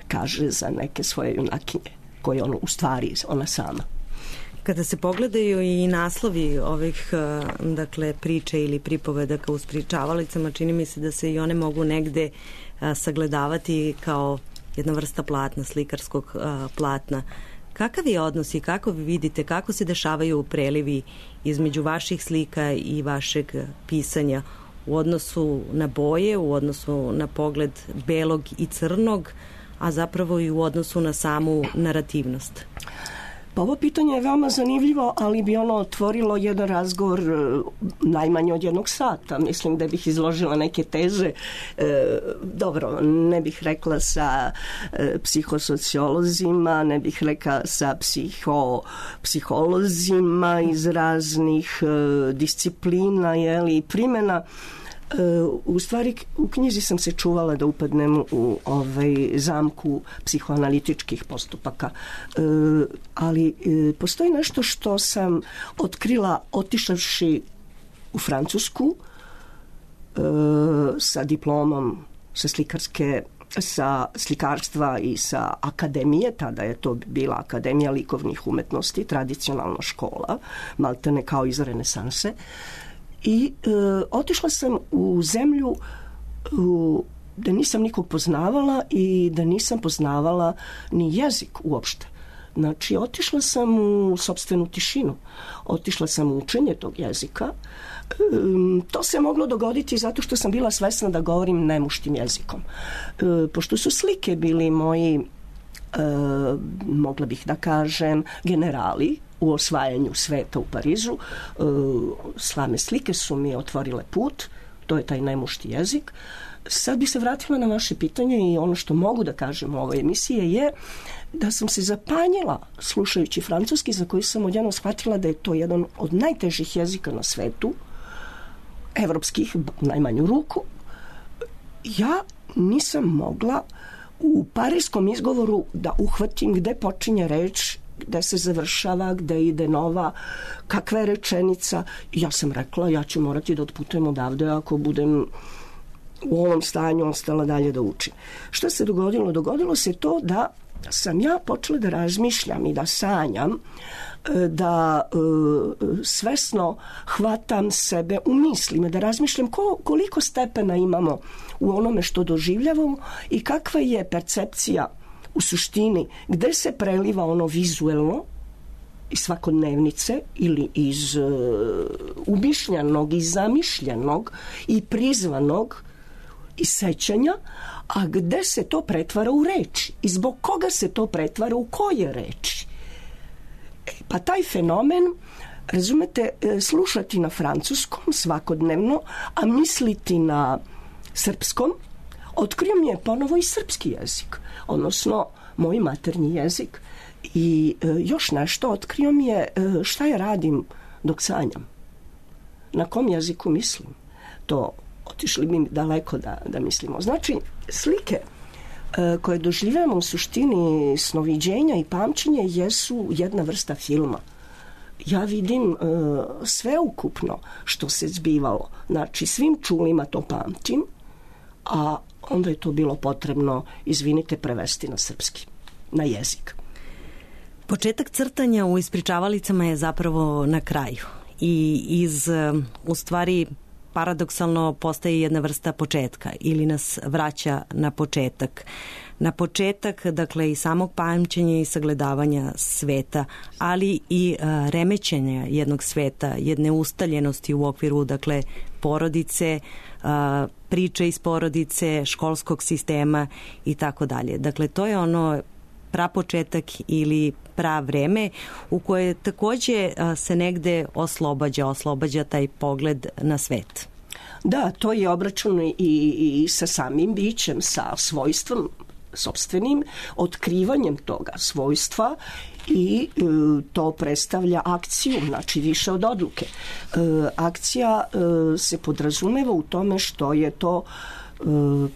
kaže za neke svoje junakinje, koje ono u stvari ona sama. Kada se pogledaju i naslovi ovih dakle priče ili pripovedaka u ispričavalicama, čini mi se da se i one mogu negde a, sagledavati kao jedna vrsta platna, slikarskog a, platna. Kakav je odnos i kako vi vidite, kako se dešavaju prelivi između vaših slika i vašeg pisanja u odnosu na boje, u odnosu na pogled belog i crnog, a zapravo i u odnosu na samu narativnost? Pa ovo pitanje je veoma zanimljivo, ali bi ono otvorilo jedan razgovor najmanje od jednog sata. Mislim da bih izložila neke teze, e, dobro, ne bih rekla sa e, psihosociolozima, ne bih rekla sa psiho, psiholozima iz raznih e, disciplina, jeli, primjena. U stvari, u knjizi sam se čuvala da upadnem u ovaj zamku psihoanalitičkih postupaka. E, ali e, postoji nešto što sam otkrila otišavši u Francusku e, sa diplomom sa slikarske sa slikarstva i sa akademije, tada je to bila Akademija likovnih umetnosti, tradicionalna škola, maltene kao iz renesanse. I e, otišla sam u zemlju u, da nisam nikog poznavala i da nisam poznavala ni jezik uopšte. Znači, otišla sam u sopstvenu tišinu. Otišla sam u učenje tog jezika. E, to se moglo dogoditi zato što sam bila svesna da govorim nemuštim jezikom. E, pošto su slike bili moji, e, mogla bih da kažem, generali u osvajanju sveta u Parizu. Slame slike su mi otvorile put, to je taj nemušti jezik. Sad bih se vratila na vaše pitanje i ono što mogu da kažem u ovoj emisiji je da sam se zapanjila slušajući francuski, za koji sam odjednom shvatila da je to jedan od najtežih jezika na svetu, evropskih, najmanju ruku. Ja nisam mogla u parijskom izgovoru da uhvatim gde počinje reč, gde se završava, gde ide nova, kakva je rečenica. Ja sam rekla, ja ću morati da otputujem odavde ako budem u ovom stanju ostala dalje da učim. Šta se dogodilo? Dogodilo se to da sam ja počela da razmišljam i da sanjam, da e, svesno hvatam sebe u mislima, da razmišljam ko, koliko stepena imamo u onome što doživljavamo i kakva je percepcija u suštini, gde se preliva ono vizuelno iz svakodnevnice ili iz uh, umišljenog i zamišljenog i prizvanog i sećanja, a gde se to pretvara u reči i zbog koga se to pretvara u koje reči. E, pa taj fenomen, razumete, slušati na francuskom svakodnevno, a misliti na srpskom, otkrio mi je ponovo i srpski jezik, odnosno moj maternji jezik. I e, još nešto, otkrio mi je e, šta ja radim dok sanjam. Na kom jeziku mislim. To otišli mi daleko da, da mislimo. Znači, slike e, koje doživljamo u suštini snoviđenja i pamćenja jesu jedna vrsta filma. Ja vidim e, sveukupno što se zbivalo. Znači, svim čulima to pamtim, a onda je to bilo potrebno, izvinite, prevesti na srpski, na jezik. Početak crtanja u ispričavalicama je zapravo na kraju i iz, u stvari, paradoksalno postaje jedna vrsta početka ili nas vraća na početak. Na početak, dakle, i samog pamćenja i sagledavanja sveta, ali i a, remećenja jednog sveta, jedne ustaljenosti u okviru, dakle, porodice, a, priče iz porodice, školskog sistema i tako dalje. Dakle, to je ono prapočetak ili pravreme u koje takođe a, se negde oslobađa, oslobađa taj pogled na svet. Da, to je obračun i, i sa samim bićem, sa svojstvom sopstvenim, otkrivanjem toga svojstva i e, to predstavlja akciju, znači više od odluke. E, akcija e, se podrazumeva u tome što je to e,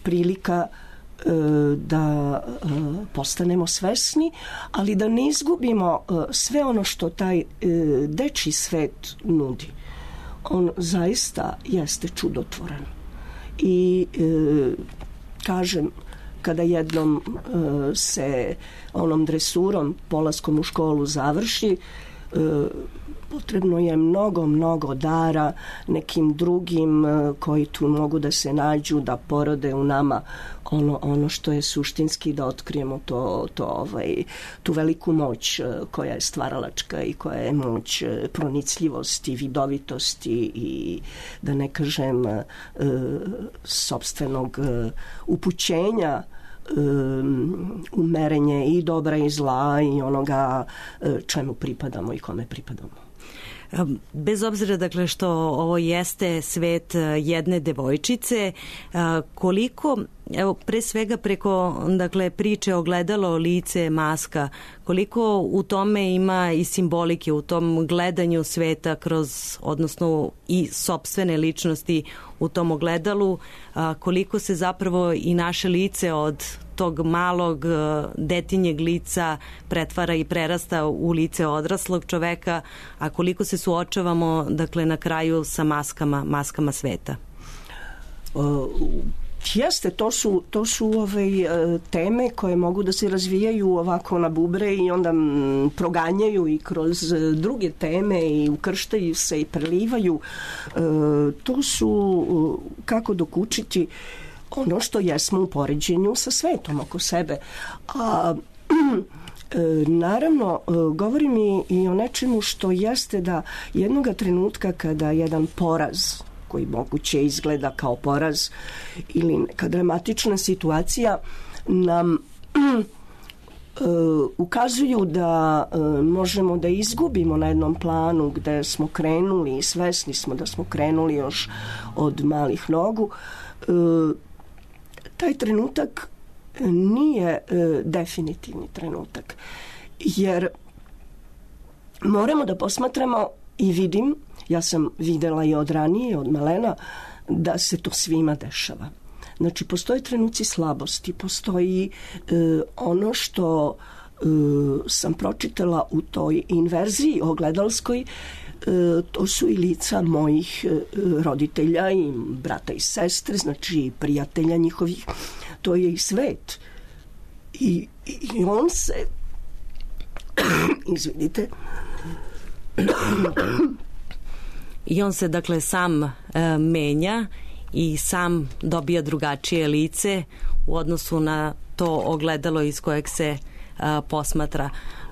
prilika e, da e, postanemo svesni, ali da ne izgubimo e, sve ono što taj e, dečji svet nudi. On zaista jeste čudotvoran. I e, kažem, kada jednom e, se onom dresurom, polaskom u školu završi, e, potrebno je mnogo, mnogo dara nekim drugim e, koji tu mogu da se nađu, da porode u nama ono, ono što je suštinski, da otkrijemo to, to, ovaj, tu veliku moć e, koja je stvaralačka i koja je moć e, pronicljivosti, vidovitosti i, da ne kažem, e, sopstvenog e, upućenja um, umerenje i dobra i zla i onoga uh, čemu pripadamo i kome pripadamo. Bez obzira dakle što ovo jeste svet jedne devojčice, koliko, evo pre svega preko dakle priče ogledalo, lice, maska, koliko u tome ima i simbolike, u tom gledanju sveta kroz, odnosno i sopstvene ličnosti u tom ogledalu, koliko se zapravo i naše lice od tog malog detinjeg lica pretvara i prerasta u lice odraslog čoveka, a koliko se suočavamo dakle na kraju sa maskama, maskama sveta. Uh, jeste, to su, to su ove teme koje mogu da se razvijaju ovako na bubre i onda m, proganjaju i kroz druge teme i ukrštaju se i prelivaju. Uh, to su uh, kako dokučiti ono što jesmo u poređenju sa svetom oko sebe. A naravno, govorim i, i o nečemu što jeste da jednoga trenutka kada jedan poraz, koji moguće izgleda kao poraz, ili neka dramatična situacija nam ukazuju da možemo da izgubimo na jednom planu gde smo krenuli i svesni smo da smo krenuli još od malih nogu, taj trenutak nije e, definitivni trenutak. Jer moramo da posmatramo i vidim, ja sam videla i od ranije, od malena, da se to svima dešava. Znači, postoje trenuci slabosti, postoji e, ono što e, sam pročitala u toj inverziji ogledalskoj, to su i lica mojih roditelja i brata i sestre, znači i prijatelja njihovih. To je i svet. I, i on se izvinite i on se dakle sam e, menja i sam dobija drugačije lice u odnosu na to ogledalo iz kojeg se a, posmatra.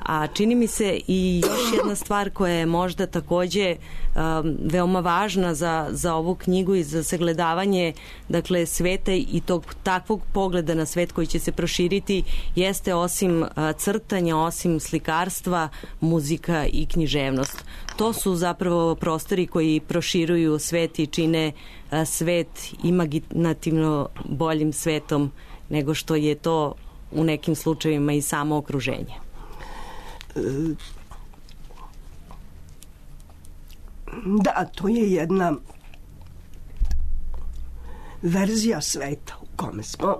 A čini mi se i još jedna stvar koja je možda takođe um, veoma važna za, za ovu knjigu i za sagledavanje dakle sveta i tog takvog pogleda na svet koji će se proširiti jeste osim uh, crtanja, osim slikarstva, muzika i književnost. To su zapravo prostori koji proširuju svet i čine uh, svet imaginativno boljim svetom nego što je to u nekim slučajevima i samo okruženje. Da, to je jedna verzija sveta u kome smo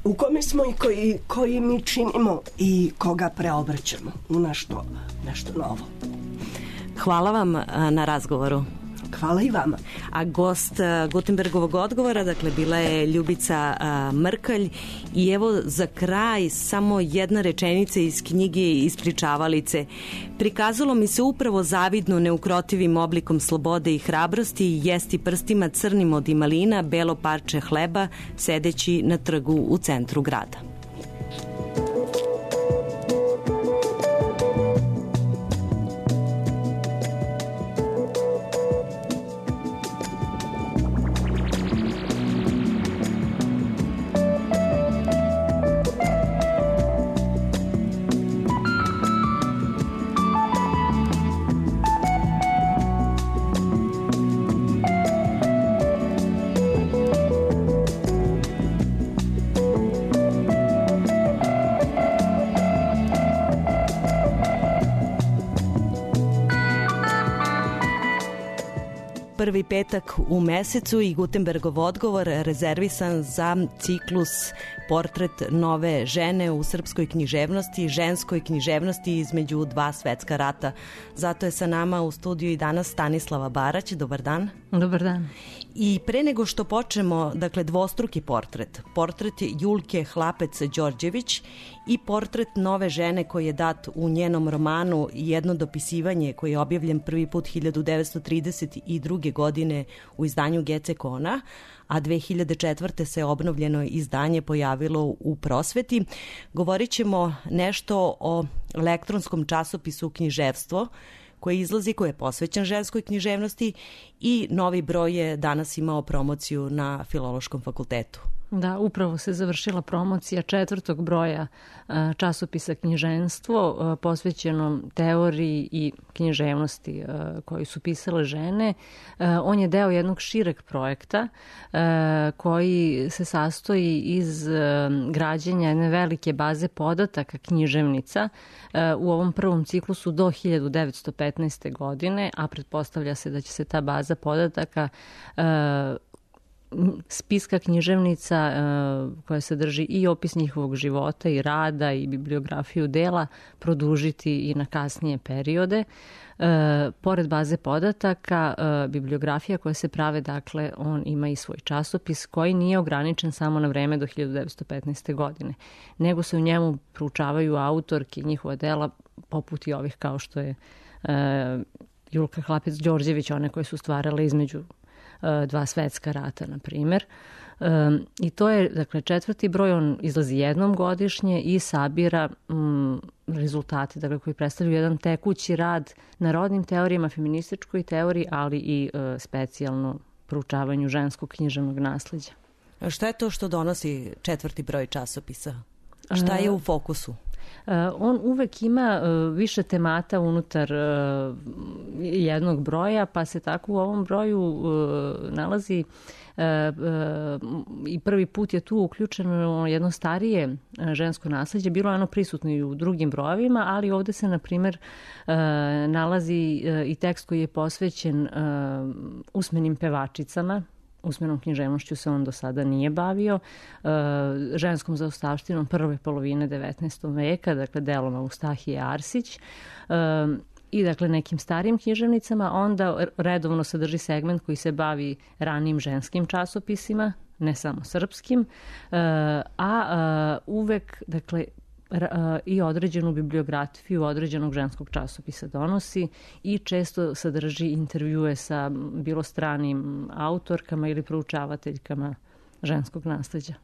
u kome smo i koji, koji mi činimo i koga preobraćamo u nešto, nešto novo. Hvala vam na razgovoru. Hvala i vama. A gost Gutenbergovog odgovora, dakle, bila je Ljubica Mrkalj. I evo za kraj samo jedna rečenica iz knjige Ispričavalice. Prikazalo mi se upravo zavidno neukrotivim oblikom slobode i hrabrosti jesti prstima crnim od imalina belo parče hleba sedeći na trgu u centru grada. Prvi petak u mesecu i Gutenbergov odgovor rezervisan za ciklus Portret nove žene u srpskoj književnosti, ženskoj književnosti između dva svetska rata. Zato je sa nama u studiju i danas Stanislava Barać. Dobar dan. Dobar dan. I pre nego što počnemo, dakle, dvostruki portret. Portret Julke Hlapec-Đorđević i portret nove žene koji je dat u njenom romanu Jedno dopisivanje koji je objavljen prvi put hiljadu devetsto trideset druge. godine u izdanju Gece Kona, a dve hiljade četvrte. se obnovljeno izdanje pojavilo u Prosveti. Govorit ćemo nešto o elektronskom časopisu Književstvo, koji izlazi, koji je posvećen ženskoj književnosti i novi broj je danas imao promociju na Filološkom fakultetu. Da, upravo se završila promocija četvrtog broja časopisa Knjiženstvo, posvećenom teoriji i književnosti koju su pisale žene. On je deo jednog šireg projekta koji se sastoji iz građenja jedne velike baze podataka književnica u ovom prvom ciklusu do hiljadu devetsto petnaeste. godine, a pretpostavlja se da će se ta baza podataka spiska književnica koja sadrži i opis njihovog života i rada i bibliografiju dela produžiti i na kasnije periode. E, pored baze podataka, e, bibliografija koja se prave, dakle, on ima i svoj časopis koji nije ograničen samo na vreme do hiljadu devetsto petnaeste. godine, nego se u njemu proučavaju autorki njihova dela poput i ovih kao što je e, Julka Hlapec-Đorđević, one koje su stvarale između dva svetska rata, na primjer. Um, I to je, dakle, četvrti broj, on izlazi jednom godišnje i sabira um, rezultate, dakle, koji predstavljaju jedan tekući rad na rodnim teorijama, feminističkoj teoriji, ali i uh, specijalno proučavanju ženskog književnog nasleđa. Šta je to što donosi četvrti broj časopisa? Šta je u fokusu? Uh, on uvek ima uh, više temata unutar uh, jednog broja, pa se tako u ovom broju uh, nalazi uh, uh, i prvi put je tu uključeno jedno starije uh, žensko nasleđe. Bilo je ono prisutno i u drugim brojevima, ali ovde se, na primjer, uh, nalazi uh, i tekst koji je posvećen uh, usmenim pevačicama. Usmenom književnošću se on do sada nije bavio, ženskom zaostavštinom prve polovine devetnaestog. veka, dakle delom Eustahije Arsić i dakle nekim starijim književnicama. Onda redovno sadrži segment koji se bavi ranijim ženskim časopisima, ne samo srpskim, a uvek, dakle, i određenu bibliografiju određenog ženskog časopisa donosi i često sadrži intervjue sa bilo stranim autorkama ili proučavateljkama ženskog nasleđa.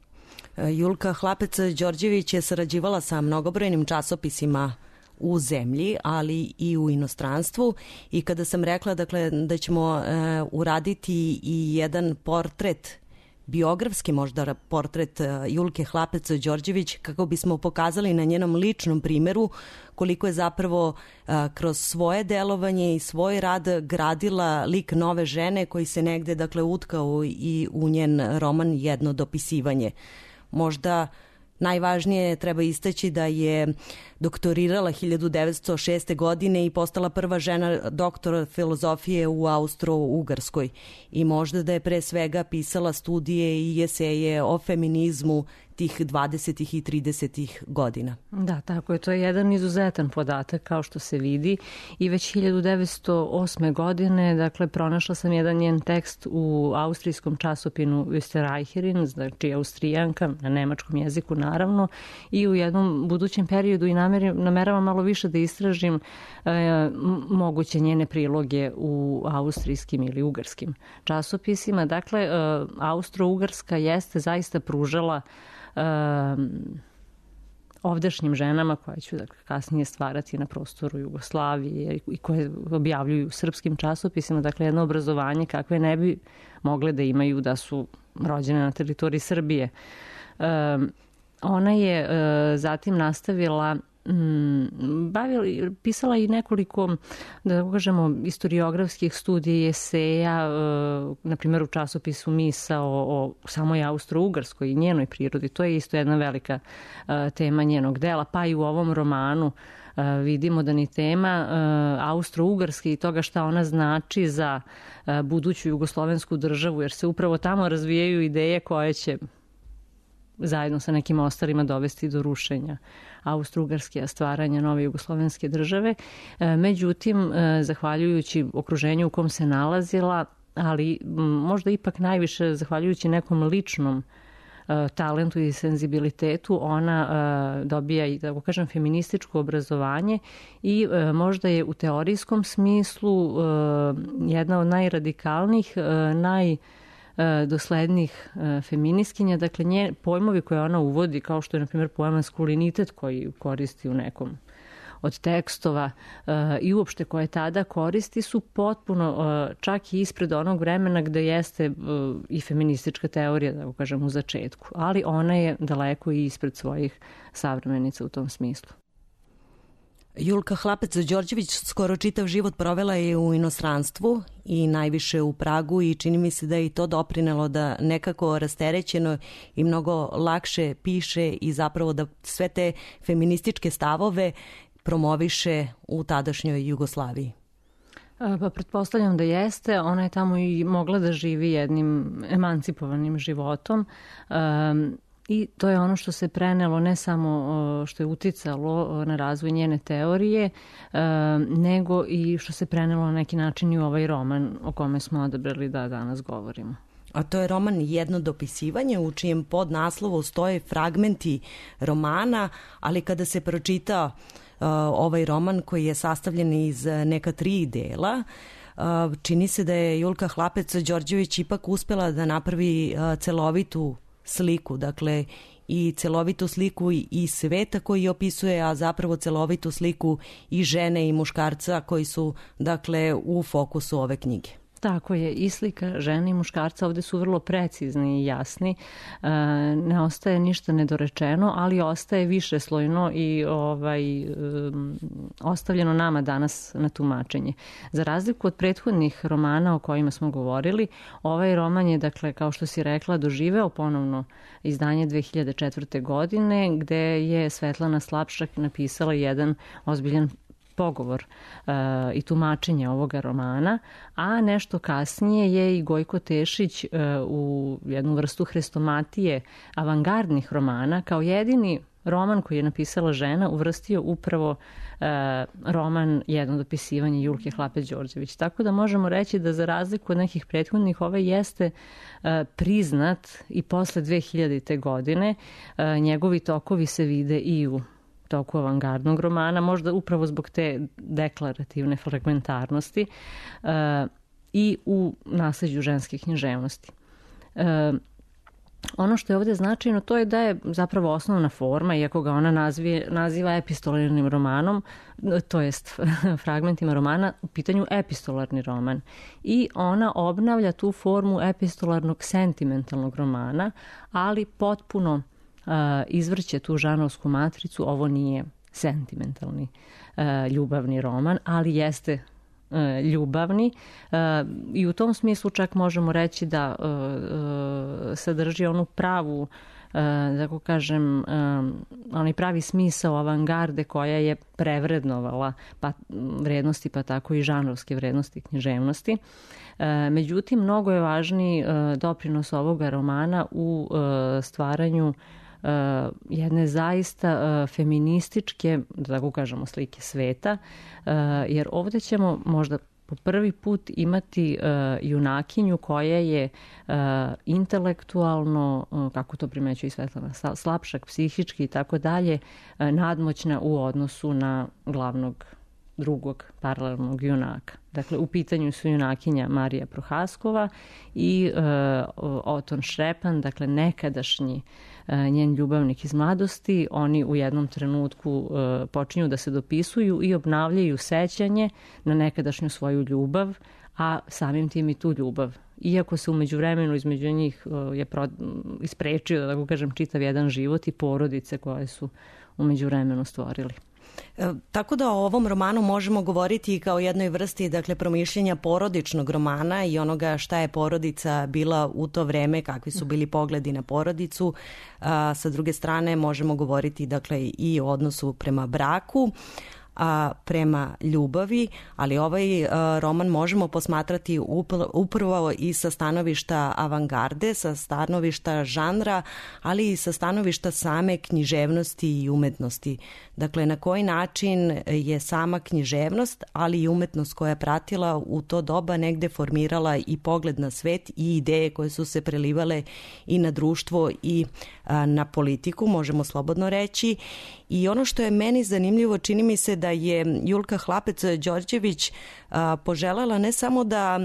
Julka Hlapec-Đorđević je sarađivala sa mnogobrojnim časopisima u zemlji, ali i u inostranstvu, i kada sam rekla, dakle, da ćemo e, uraditi i jedan portret, biografski možda portret Julke Hlapec-Đorđević, kako bismo pokazali na njenom ličnom primjeru koliko je zapravo a, kroz svoje delovanje i svoj rad gradila lik nove žene koji se negde, dakle, utkao i u njen roman Jedno dopisivanje. Možda najvažnije treba istaći da je doktorirala hiljadu devetsto šeste. godine i postala prva žena doktora filozofije u Austro-Ugarskoj, i možda da je pre svega pisala studije i eseje o feminizmu tih dvadesetih i tridesetih godina. Da, tako je. To je jedan izuzetan podatak, kao što se vidi, i već hiljadu devetsto osme. godine, dakle, pronašla sam jedan njen tekst u austrijskom časopinu Österreicherin, znači Austrijanka, na nemačkom jeziku naravno, i u jednom budućem periodu i nameravam malo više da istražim e, moguće njene priloge u austrijskim ili ugarskim časopisima. Dakle, e, Austro-Ugarska jeste zaista pružala Um, ovdašnjim ženama koje ću, dakle, kasnije stvarati na prostoru Jugoslavije i koje objavljuju u srpskim časopisima, dakle, jedno obrazovanje kakve ne bi mogle da imaju da su rođene na teritoriji Srbije. Um, ona je uh, zatim nastavila bavila, pisala i nekoliko, da kažemo, historiografskih studija i eseja, na primjer u časopisu Misa o, o samoj Austro-Ugarskoj i njenoj prirodi. To je isto jedna velika tema njenog dela, pa i u ovom romanu vidimo da ni tema Austro-Ugarske i toga šta ona znači za buduću jugoslovensku državu, jer se upravo tamo razvijaju ideje koje će zajedno sa nekim ostalima dovesti do rušenja Austro-Ugarske, stvaranja nove jugoslovenske države. Međutim, zahvaljujući okruženju u kom se nalazila, ali možda ipak najviše zahvaljujući nekom ličnom talentu i senzibilitetu, ona dobija i, da kažem, feminističko obrazovanje i možda je u teorijskom smislu jedna od najradikalnijih, naj doslednih feministkinja. Dakle, nje pojmovi koje ona uvodi, kao što je, na primjer, pojam maskulinitet koji koristi u nekom od tekstova i uopšte koje tada koristi su potpuno čak i ispred onog vremena gde jeste i feministička teorija, da kažem, u začetku, ali ona je daleko i ispred svojih savremenica u tom smislu. Julka Hlapec-Đorđević skoro čitav život provela je u inostranstvu i najviše u Pragu i čini mi se da je i to doprinelo da nekako rasterećeno i mnogo lakše piše i zapravo da sve te feminističke stavove promoviše u tadašnjoj Jugoslaviji. Pa pretpostavljam da jeste. Ona je tamo i mogla da živi jednim emancipovanim životom. Um, I to je ono što se prenelo, ne samo što je uticalo na razvoj njene teorije, nego i što se prenelo na neki način i u ovaj roman o kome smo odabrali da danas govorimo. A to je roman Jedno dopisivanje u čijem podnaslovu stoje fragmenti romana, ali kada se pročita uh, ovaj roman koji je sastavljen iz neka tri dela, uh, čini se da je Julka Hlapec-Đorđević ipak uspela da napravi uh, celovitu sliku, dakle i celovitu sliku i sveta koji opisuje, a zapravo celovitu sliku i žene i muškarca koji su, dakle, u fokusu ove knjige. Tako je, i slika žene i muškarca ovde su vrlo precizni i jasni. E, ne ostaje ništa nedorečeno, ali ostaje više slojno i ovaj, e, ostavljeno nama danas na tumačenje. Za razliku od prethodnih romana o kojima smo govorili, ovaj roman je, dakle, kao što si rekla, doživeo ponovno izdanje dve hiljade četvrte. godine, gde je Svetlana Slapšak napisala jedan ozbiljan pogovor uh, i tumačenje ovoga romana, a nešto kasnije je i Gojko Tešić uh, u jednu vrstu hrestomatije avangardnih romana kao jedini roman koji je napisala žena uvrstio upravo uh, roman Jedno dopisivanje Julke Hlapec-Đorđević. Tako da možemo reći da za razliku od nekih prethodnih ovaj jeste uh, priznat i posle dve hiljadite. godine. Uh, njegovi tokovi se vide i u toku avangardnog romana, možda upravo zbog te deklarativne fragmentarnosti uh, i u nasleđu ženske književnosti. Uh, ono što je ovde značajno, to je da je zapravo osnovna forma, iako ga ona nazvije, naziva epistolarnim romanom, to jest fragmentima romana, u pitanju epistolarni roman. I ona obnavlja tu formu epistolarnog sentimentalnog romana, ali potpuno Uh, izvrće tu žanovsku matricu. Ovo nije sentimentalni uh, ljubavni roman, ali jeste uh, ljubavni uh, i u tom smislu čak možemo reći da uh, uh, sadrži onu pravu, uh, da tako kažem, um, onaj pravi smisao avangarde koja je prevrednovala pa, vrednosti, pa tako i žanrovske vrednosti književnosti. Uh, međutim, mnogo je važniji uh, doprinos ovoga romana u uh, stvaranju Uh, jedne zaista uh, feminističke, da tako kažemo, slike sveta, uh, jer ovde ćemo možda po prvi put imati uh, junakinju koja je uh, intelektualno, uh, kako to primećuje i Svetlana Slapšak, psihički i tako dalje, uh, nadmoćna u odnosu na glavnog drugog paralelnog junaka. Dakle, u pitanju su junakinja Marija Prohaskova i uh, Oton Šrepan, dakle nekadašnji uh, njen ljubavnik iz mladosti. Oni u jednom trenutku uh, počinju da se dopisuju i obnavljaju sećanje na nekadašnju svoju ljubav, a samim tim i tu ljubav. Iako se umeđu vremenu između njih uh, je pro, isprečio, da tako kažem, čitav jedan život i porodice koje su umeđu vremenu stvorili. E, tako da o ovom romanu možemo govoriti kao jednoj vrsti, dakle, promišljenja porodičnog romana i onoga šta je porodica bila u to vreme, kakvi su bili pogledi na porodicu. A, sa druge strane možemo govoriti, dakle, i o odnosu prema braku, a prema ljubavi, ali ovaj a, roman možemo posmatrati upravo i sa stanovišta avangarde, sa stanovišta žanra, ali i sa stanovišta same književnosti i umetnosti. Dakle, na koji način je sama književnost, ali i umetnost koja je pratila u to doba negde formirala i pogled na svet i ideje koje su se prelivale i na društvo i a, na politiku, možemo slobodno reći. I ono što je meni zanimljivo, čini mi se da je Julka Hlapec-Đorđević poželela ne samo da,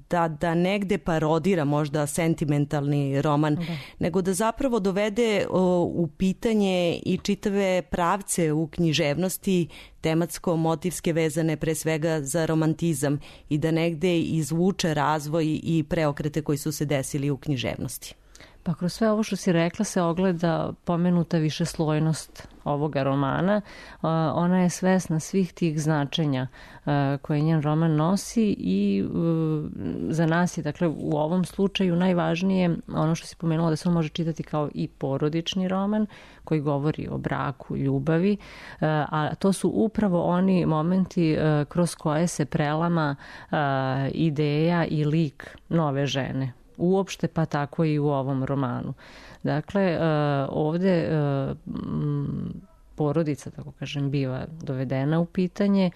da, da negde parodira možda sentimentalni roman, da. nego da zapravo dovede u pitanje i čitave pravce u književnosti tematsko-motivske vezane pre svega za romantizam i da negde izvuče razvoj i preokrete koji su se desili u književnosti. Pa kroz sve ovo što si rekla se ogleda pomenuta višeslojnost ovoga romana. Ona je svesna svih tih značenja koje njen roman nosi i za nas je, dakle, u ovom slučaju najvažnije ono što si pomenula da se on može čitati kao i porodični roman koji govori o braku, ljubavi, a to su upravo oni momenti kroz koje se prelama ideja i lik nove žene. Uopšte, pa tako i u ovom romanu. Dakle, ovde porodica, tako kažem, biva dovedena u pitanje.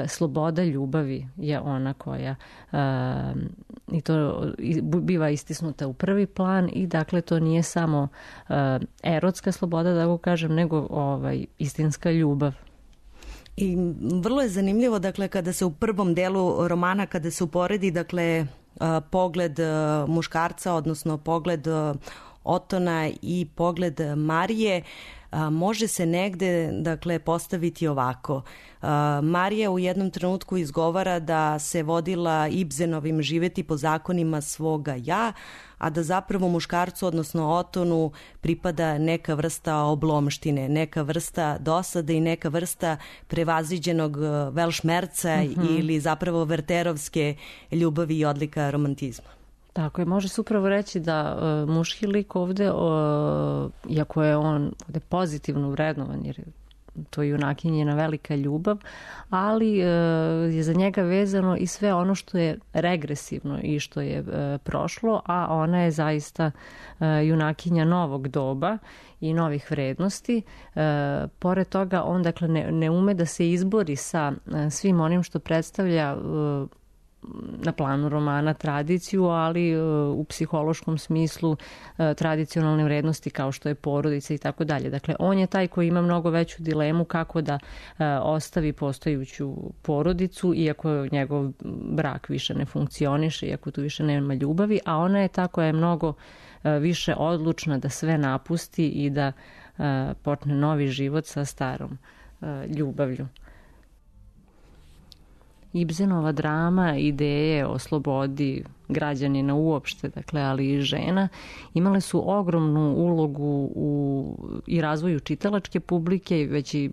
Sloboda ljubavi je ona koja i to biva istisnuta u prvi plan i dakle to nije samo erotska sloboda, da tako kažem, nego ovaj, istinska ljubav. I vrlo je zanimljivo, dakle, kada se u prvom delu romana, kada se uporedi, dakle, pogled muškarca, odnosno pogled Otona i pogled Marije, može se negde, dakle, postaviti ovako. Marija u jednom trenutku izgovara da se vodila Ibsenovim živeti po zakonima svoga ja, a da zapravo muškarcu, odnosno Otonu, pripada neka vrsta oblomštine, neka vrsta dosade i neka vrsta prevaziđenog velšmerca mm-hmm. ili zapravo verterovske ljubavi i odlika romantizma. Tako je, može se upravo reći da uh, muški lik ovde, uh, iako je on ovde pozitivno vrednovan, jer to je junakinjena velika ljubav, ali uh, je za njega vezano i sve ono što je regresivno i što je uh, prošlo, a ona je zaista uh, junakinja novog doba i novih vrednosti. Uh, pored toga, on dakle ne, ne ume da se izbori sa uh, svim onim što predstavlja uh, na planu romana tradiciju, ali u psihološkom smislu tradicionalne vrednosti kao što je porodica i tako dalje. Dakle, on je taj koji ima mnogo veću dilemu kako da ostavi postojuću porodicu, iako njegov brak više ne funkcioniše, iako tu više nema ljubavi, a ona je ta koja je mnogo više odlučna da sve napusti i da počne novi život sa starom ljubavlju. Ibsenova drama, ideje o slobodi građanina uopšte, dakle, ali i žena, imale su ogromnu ulogu u i razvoju čitalačke publike, već i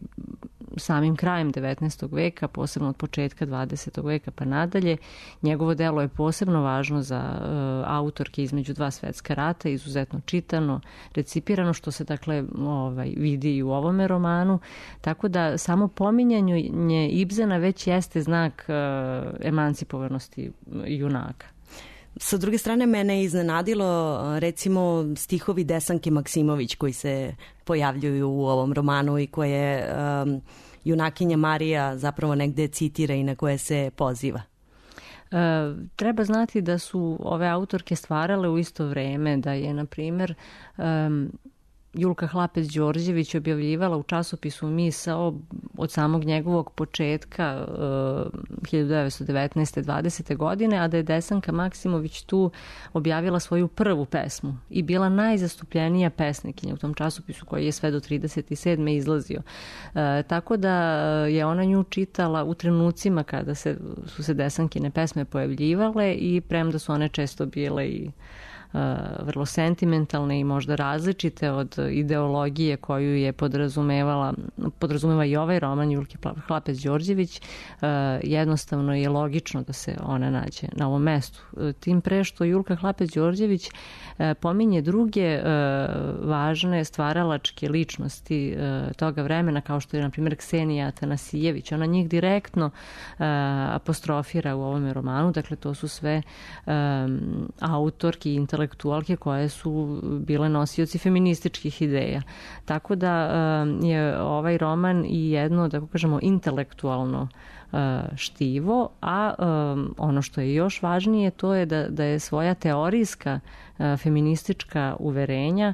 samim krajem devetnaestog veka, posebno od početka dvadesetog veka pa nadalje. Njegovo delo je posebno važno za uh, autorke između dva svetska rata, izuzetno čitano, recipirano, što se dakle ovaj, vidi i u ovome romanu. Tako da samo pominjanje Ibsena već jeste znak uh, emancipovanosti junaka. Sa druge strane, mene je iznenadilo recimo stihovi Desanke Maksimović koji se pojavljuju u ovom romanu i koje um, junakinja Marija zapravo negde citira i na koje se poziva. E, treba znati da su ove autorke stvarale u isto vreme, da je, na primjer, um, Julka Hlapec-Đorđević objavljivala u časopisu Misao od samog njegovog početka hiljadu devetsto devetnaeste dvadesete godine, a da je Desanka Maksimović tu objavila svoju prvu pesmu i bila najzastupljenija pesnikinja u tom časopisu koji je sve do trideset sedme izlazio. E, tako da je ona nju čitala u trenucima kada se, su se Desankine pesme pojavljivale i premda su one često bile i vrlo sentimentalne i možda različite od ideologije koju je podrazumevala, podrazumeva i ovaj roman Julke Hlapec-Đorđević, jednostavno je logično da se ona nađe na ovom mestu. Tim pre što Julka Hlapec-Đorđević pominje druge važne stvaralačke ličnosti toga vremena, kao što je, na primjer, Ksenija Atanasijević. Ona njih direktno apostrofira u ovome romanu, dakle to su sve autorki i intelektualke koje su bile nosioci feminističkih ideja. Tako da je ovaj roman i jedno, da kažemo, intelektualno štivo, a ono što je još važnije to je da, da je svoja teorijska feministička uverenja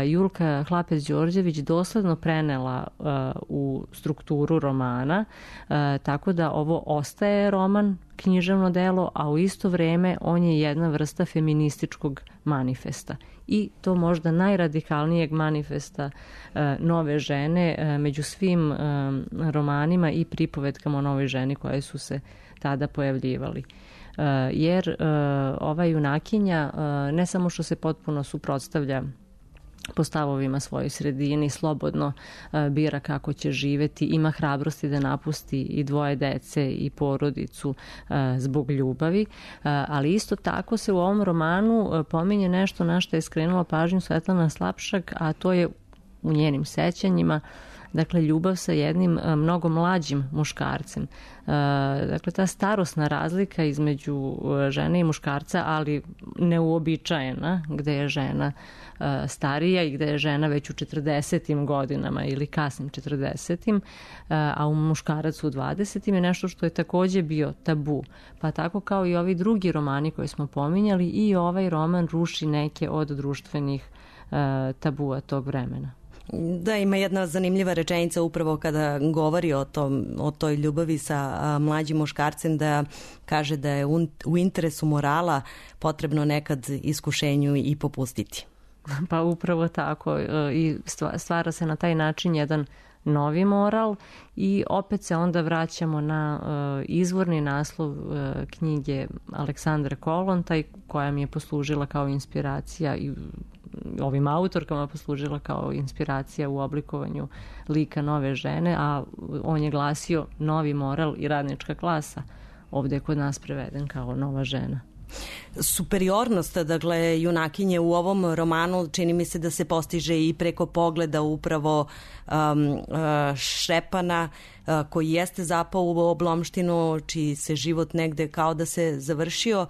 Julka Hlapec-Đorđević dosledno prenela u strukturu romana, tako da ovo ostaje roman, književno delo, a u isto vreme on je jedna vrsta feminističkog manifesta. I to možda najradikalnijeg manifesta nove žene među svim romanima i pripovetkama o novoj ženi koje su se tada pojavljivali. Jer ova junakinja ne samo što se potpuno suprotstavlja po stavovima svojoj sredini, slobodno bira kako će živeti, ima hrabrosti da napusti i dvoje dece i porodicu zbog ljubavi, ali isto tako se u ovom romanu pominje nešto na što je skrenula pažnju Svetlana Slapšak, a to je u njenim sećanjima, dakle, ljubav sa jednim mnogo mlađim muškarcem. Dakle, ta starosna razlika između žene i muškarca, ali neuobičajena, gde je žena starija i gde je žena već u četrdesetim godinama ili kasnim četrdesetim, a u muškarac u dvadesetim je nešto što je takođe bio tabu. Pa tako kao i ovi drugi romani koje smo pominjali, i ovaj roman ruši neke od društvenih tabua tog vremena. Da, ima jedna zanimljiva rečenica upravo kada govori o, tom, o toj ljubavi sa a, mlađim muškarcem, da kaže da je un, u interesu morala potrebno nekad iskušenju i popustiti. Pa upravo tako, i stvara se na taj način jedan novi moral i opet se onda vraćamo na uh, izvorni naslov uh, knjige Aleksandre Kollontaj, koja mi je poslužila kao inspiracija i ovim autorkama poslužila kao inspiracija u oblikovanju lika nove žene, a on je glasio novi moral i radnička klasa. Ovde je kod nas preveden kao nova žena. Superiornost, dakle, junakinje u ovom romanu čini mi se da se postiže i preko pogleda upravo um, uh, Šćepana, uh, koji jeste zapao u oblomštinu, čiji se život negde kao da se završio,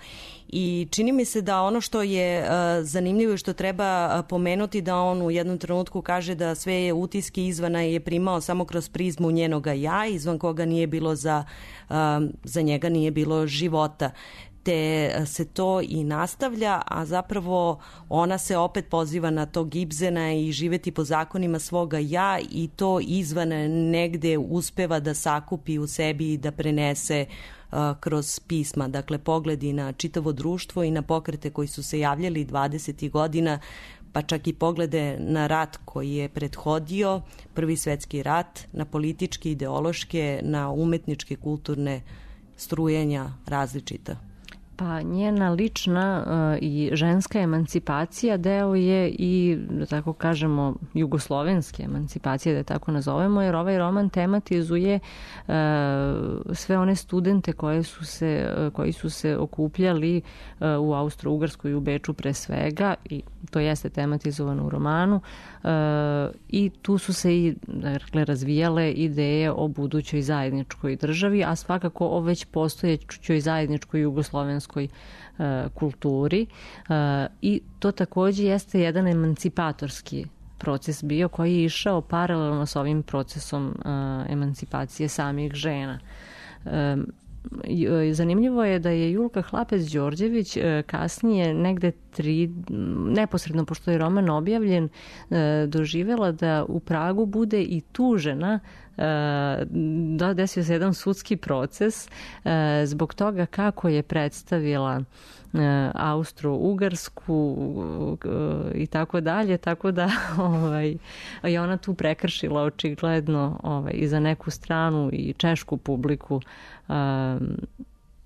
i čini mi se da ono što je uh, zanimljivo i što treba pomenuti, da on u jednom trenutku kaže da sve utiske izvana je primao samo kroz prizmu njenoga ja, izvan koga nije bilo za, uh, za njega nije bilo života. Te se to i nastavlja, a zapravo ona se opet poziva na tog Ibsena i živeti po zakonima svoga ja, i to izvan negde uspeva da sakupi u sebi i da prenese uh, kroz pisma. Dakle, pogledi na čitavo društvo i na pokrete koji su se javljali dvadesetih godina, pa čak i poglede na rat koji je prethodio, Prvi svetski rat, na političke, ideološke, na umetničke, kulturne strujenja različita. Pa njena lična uh, i ženska emancipacija deo je i, da tako kažemo, jugoslovenske emancipacije, da je tako nazovemo, jer ovaj roman tematizuje uh, sve one studente koje su se, uh, koji su se okupljali uh, u Austro-Ugarskoj i u Beču pre svega, i to jeste tematizovano u romanu, uh, i tu su se i, dakle, razvijale ideje o budućoj zajedničkoj državi, a svakako o već postojećoj zajedničkoj jugoslovenskoj kulturi, i to takođe jeste jedan emancipatorski proces bio koji je išao paralelno s ovim procesom emancipacije samih žena. Zanimljivo je da je Julka Hlapec-Đorđević kasnije, negde tri, neposredno pošto je roman objavljen, doživela da u Pragu bude i tužena, da desio se jedan sudski proces zbog toga kako je predstavila Austro-Ugarsku i tako dalje, tako da ovaj, je ona tu prekršila očigledno ovaj, i za neku stranu i češku publiku,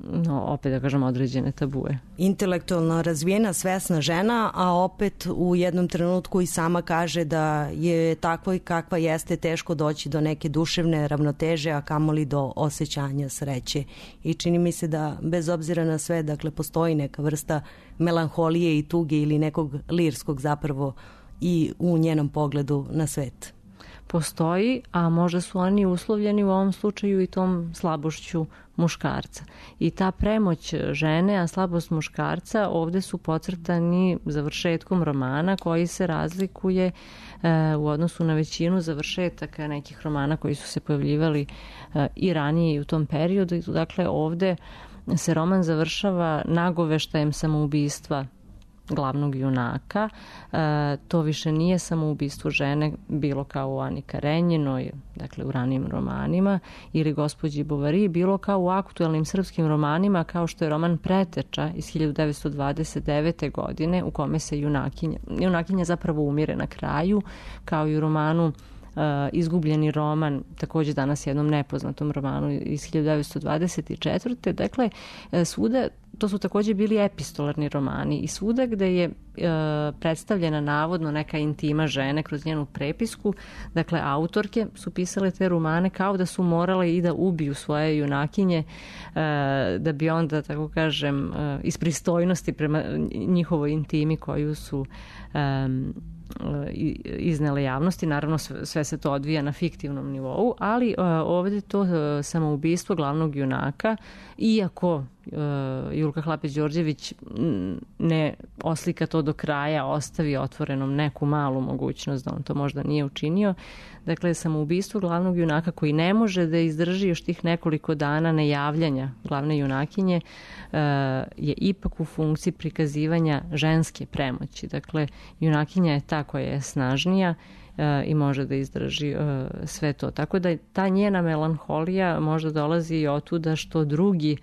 no, opet da kažem, određene tabue. Intelektualno razvijena, svesna žena, a opet u jednom trenutku i sama kaže da je takva i kakva jeste teško doći do neke duševne ravnoteže, a kamoli do osjećanja sreće. I čini mi se da bez obzira na sve, dakle, postoji neka vrsta melanholije i tuge ili nekog lirskog zapravo i u njenom pogledu na svet. postoji, a možda su oni uslovljeni u ovom slučaju i tom slabošću muškarca. I ta premoć žene, a slabost muškarca ovde su podcrtani završetkom romana koji se razlikuje e, u odnosu na većinu završetaka nekih romana koji su se pojavljivali e, i ranije i u tom periodu. Dakle, ovde se roman završava nagoveštajem samoubistva glavnog junaka. E, to više nije samoubistvo žene bilo kao u Ani Karenjinoj, dakle u ranijim romanima, ili gospođi Bovary, bilo kao u aktuelnim srpskim romanima, kao što je roman Preteča iz hiljadu devetsto dvadeset devete. godine, u kome se junakinja, junakinja zapravo umire na kraju, kao i u romanu Uh, Izgubljeni roman, takođe danas jednom nepoznatom romanu iz hiljadu devetsto dvadeset četvrte. Dakle, svuda, to su takođe bili epistolarni romani i svuda gde je uh, predstavljena navodno neka intima žene kroz njenu prepisku, dakle, autorke su pisale te romane kao da su morale i da ubiju svoje junakinje uh, da bi onda, tako kažem, uh, iz pristojnosti prema njihovoj intimi koju su um, iznele javnosti. Naravno, sve se to odvija na fiktivnom nivou, ali ovde to samoubistvo glavnog junaka, iako Julka Hlapec-Đorđević ne oslika to do kraja, ostavi otvorenom neku malu mogućnost da on to možda nije učinio. Dakle, samoubistvo glavnog junaka koji ne može da izdrži još tih nekoliko dana nejavljanja glavne junakinje je ipak u funkciji prikazivanja ženske premoći. Dakle, junakinja je ta koja je snažnija i može da izdrži sve to. Tako da ta njena melanholija možda dolazi i otuda što drugi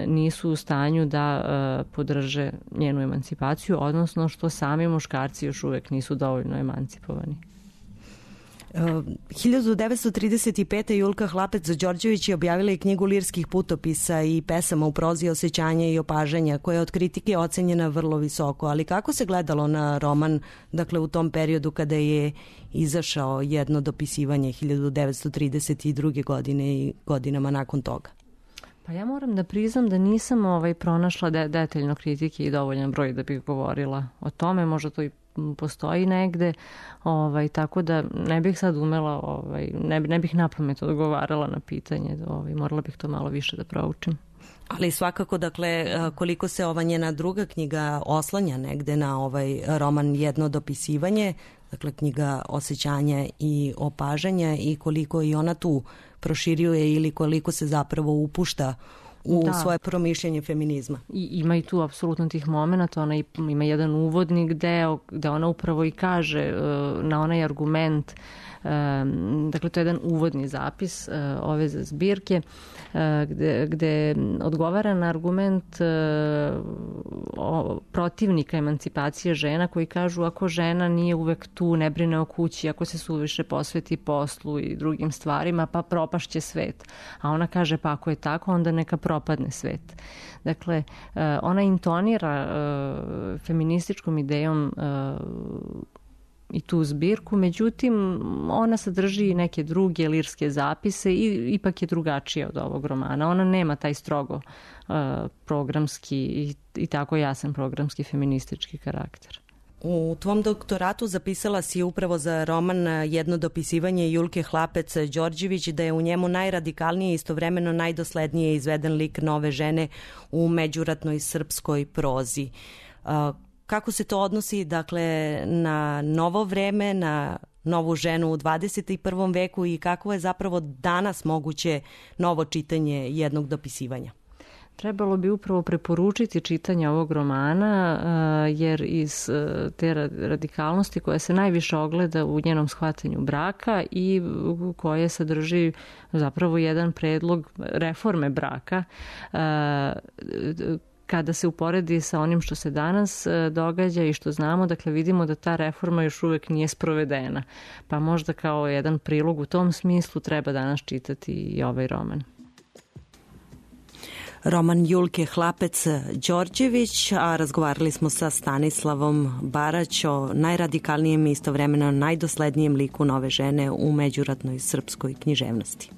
nisu u stanju da podrže njenu emancipaciju, odnosno što sami muškarci još uvek nisu dovoljno emancipovani. hiljadu devetsto trideset pete. Julka Hlapec-Đorđević je objavila i knjigu lirskih putopisa i pesama u prozi osjećanja i opažanja, koja je od kritike ocenjena vrlo visoko. Ali kako se gledalo na roman, dakle, u tom periodu kada je izašao jedno dopisivanje hiljadu devetsto trideset druge. godine i godinama nakon toga? Pa ja moram da priznam da nisam ovaj, pronašla de detaljno kritike i dovoljan broj da bih govorila o tome. Možda to i postoji negde, ovaj, tako da ne bih sad umela, ovaj, ne, ne bih napamet odgovarala na pitanje, ovaj, morala bih to malo više da proučim. Ali svakako, dakle, koliko se ova njena druga knjiga oslanja negde na ovaj roman Jedno dopisivanje, dakle knjiga osjećanja i opažanja, i koliko i ona tu proširuje ili koliko se zapravo upušta u da. svoje promišljanje feminizma. I ima i tu apsolutno tih momenta, ona ima jedan uvodnik deo gde ona upravo i kaže na onaj argument, dakle to je jedan uvodni zapis ove zbirke gde, gde odgovara na argument protivnika emancipacije žena koji kažu ako žena nije uvek tu, ne brine o kući, ako se suviše posveti poslu i drugim stvarima, pa propašće svet. A ona kaže pa ako je tako, onda neka propadne svet. Dakle, ona intonira feminističkom idejom i tu zbirku, međutim ona sadrži neke druge lirske zapise i ipak je drugačija od ovog romana. Ona nema taj strogo uh, programski i, i tako jasan programski feministički karakter. U tvom doktoratu zapisala si upravo za roman Jedno dopisivanje Julke Hlapec-Đorđević da je u njemu najradikalnije i istovremeno najdoslednije izveden lik nove žene u međuratnoj srpskoj prozi. Uh, Kako se to odnosi, dakle, na novo vreme, na novu ženu u dvadeset prvom veku i kako je zapravo danas moguće novo čitanje jednog dopisivanja? Trebalo bi upravo preporučiti čitanje ovog romana, jer iz te radikalnosti koja se najviše ogleda u njenom shvatanju braka i koje sadrži zapravo jedan predlog reforme braka, kada se uporedi sa onim što se danas događa i što znamo, dakle vidimo da ta reforma još uvek nije sprovedena. Pa možda kao jedan prilog u tom smislu treba danas čitati i ovaj roman. Roman Julke Hlapec-Đorđević, a razgovarali smo sa Stanislavom Barać o najradikalnijem i istovremeno najdoslednijem liku nove žene u međuratnoj srpskoj književnosti.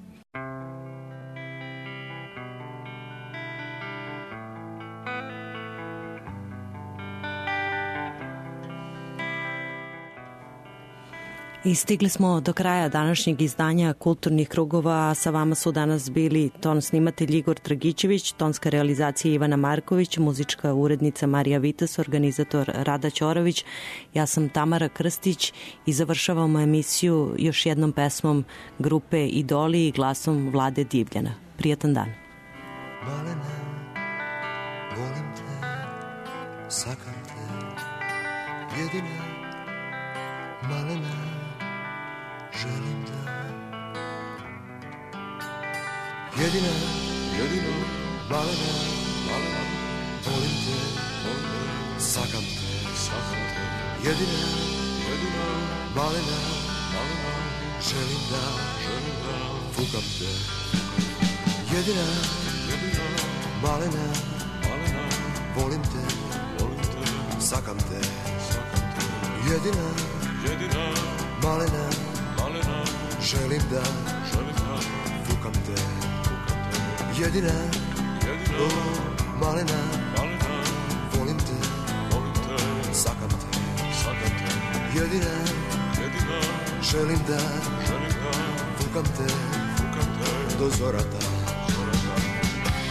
I stigli smo do kraja današnjeg izdanja Kulturnih krugova. Sa vama su danas bili ton snimatelj Igor Dragićević, tonska realizacija Ivana Marković, muzička urednica Marija Vitas, organizator Rada Ćorović. Ja sam Tamara Krstić i završavamo emisiju još jednom pesmom grupe Idoli i glasom Vlade Divljana. Prijatan dan. Malena, volim te, sakam te, jedina, malena, želim da. Jedina, jedina, malena, malena, volim te, volim te, sakam te, sakam te, jedina, jedina, malena, malena, želim da, želim da, fukam te. Jedina, jedina, malena, malena, volim te, volim te, sakam te, sakam te. Jedina, jedina, malena, malena, želim da, želim da, fukam te, fukam te. Jedina, jedina, oh, malena, malena, volim te, volim te, sakam te, sakam te. Jedina, jedina, želim da, želim da, fukam te, fukam te, do zorata.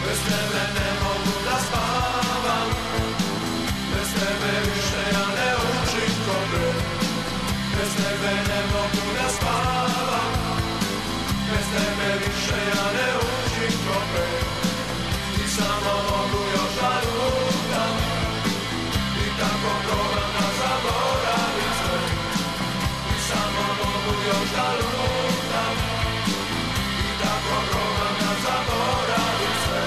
Bez tebe ne mogu da spavam, bez tebe više ja ne učim ko pre. Bez tebe ne mogu da spavam, bez tebe više ja ne učim ko pre. I samo mogu još da lutam, i tako probam da zaboravim sve. I samo mogu još da lutam, i tako probam da zaboravim sve.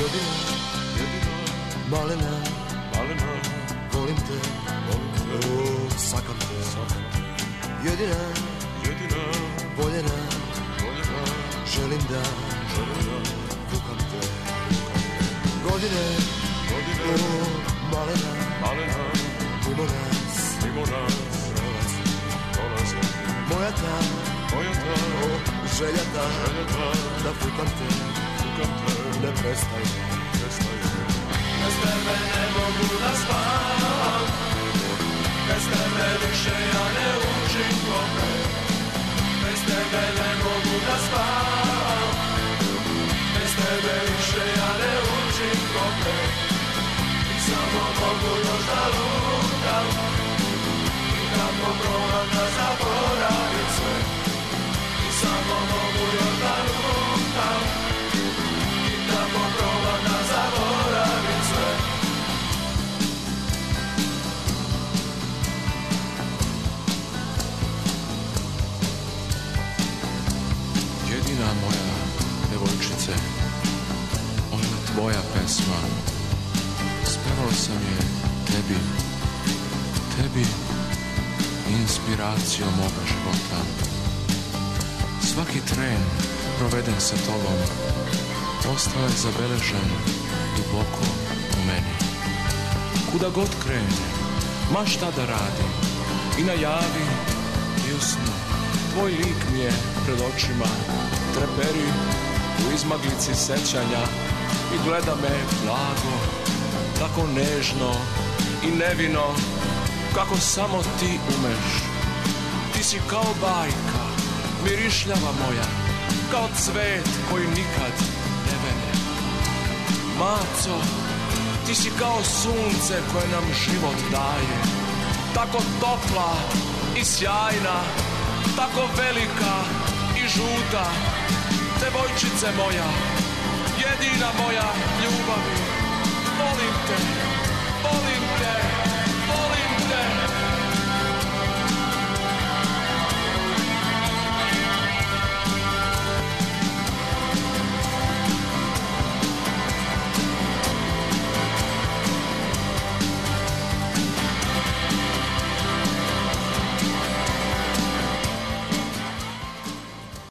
Jedina, jedina, malena, malena, volim te, volim te, oh, sakam te, sakam te. Jedina, jedina, voljena, voljena, želim da, želim da, fukam te, fukam te. Godine, godine, oh, malena, malena, mimo nas, mimo nas, prolazi, prolazi. Moja ta, moja ta, oh, želja ta, želja ta, da fukam te, fukam te, ne prestaj, prestaj. Bez tebe ne mogu da spavam, bez tebe više ja ne učim ko pre. Bez tebe ne mogu da spavam, bez tebe više ja ne učim ko pre. I samo mogu još da lutam, i kako probam da zaboravim sve. I samo mogu još da lutam, i tako probam da zaboravim sve. Jedina moja devojčice, ovo je tvoja pesma. Spevao sam je tebi, tebi, inspiracijom moga života. Svaki tren proveden sa tobom ostao je zabeležen duboko u meni. Kuda god krenem, ma šta da radim, i na javi i u snu, tvoj lik mi je pred očima, treperi u izmaglici sećanja i gleda me blago, tako nežno i nevino, kako samo ti umeš. Ti si kao bajka, mirišljava moja, kao cvet koji nikad ne vene. Maco, ti si kao sunce koje nam život daje, tako topla i sjajna, tako velika i žuta. Devojčice moja, jedina moja ljubavi, volim te, volim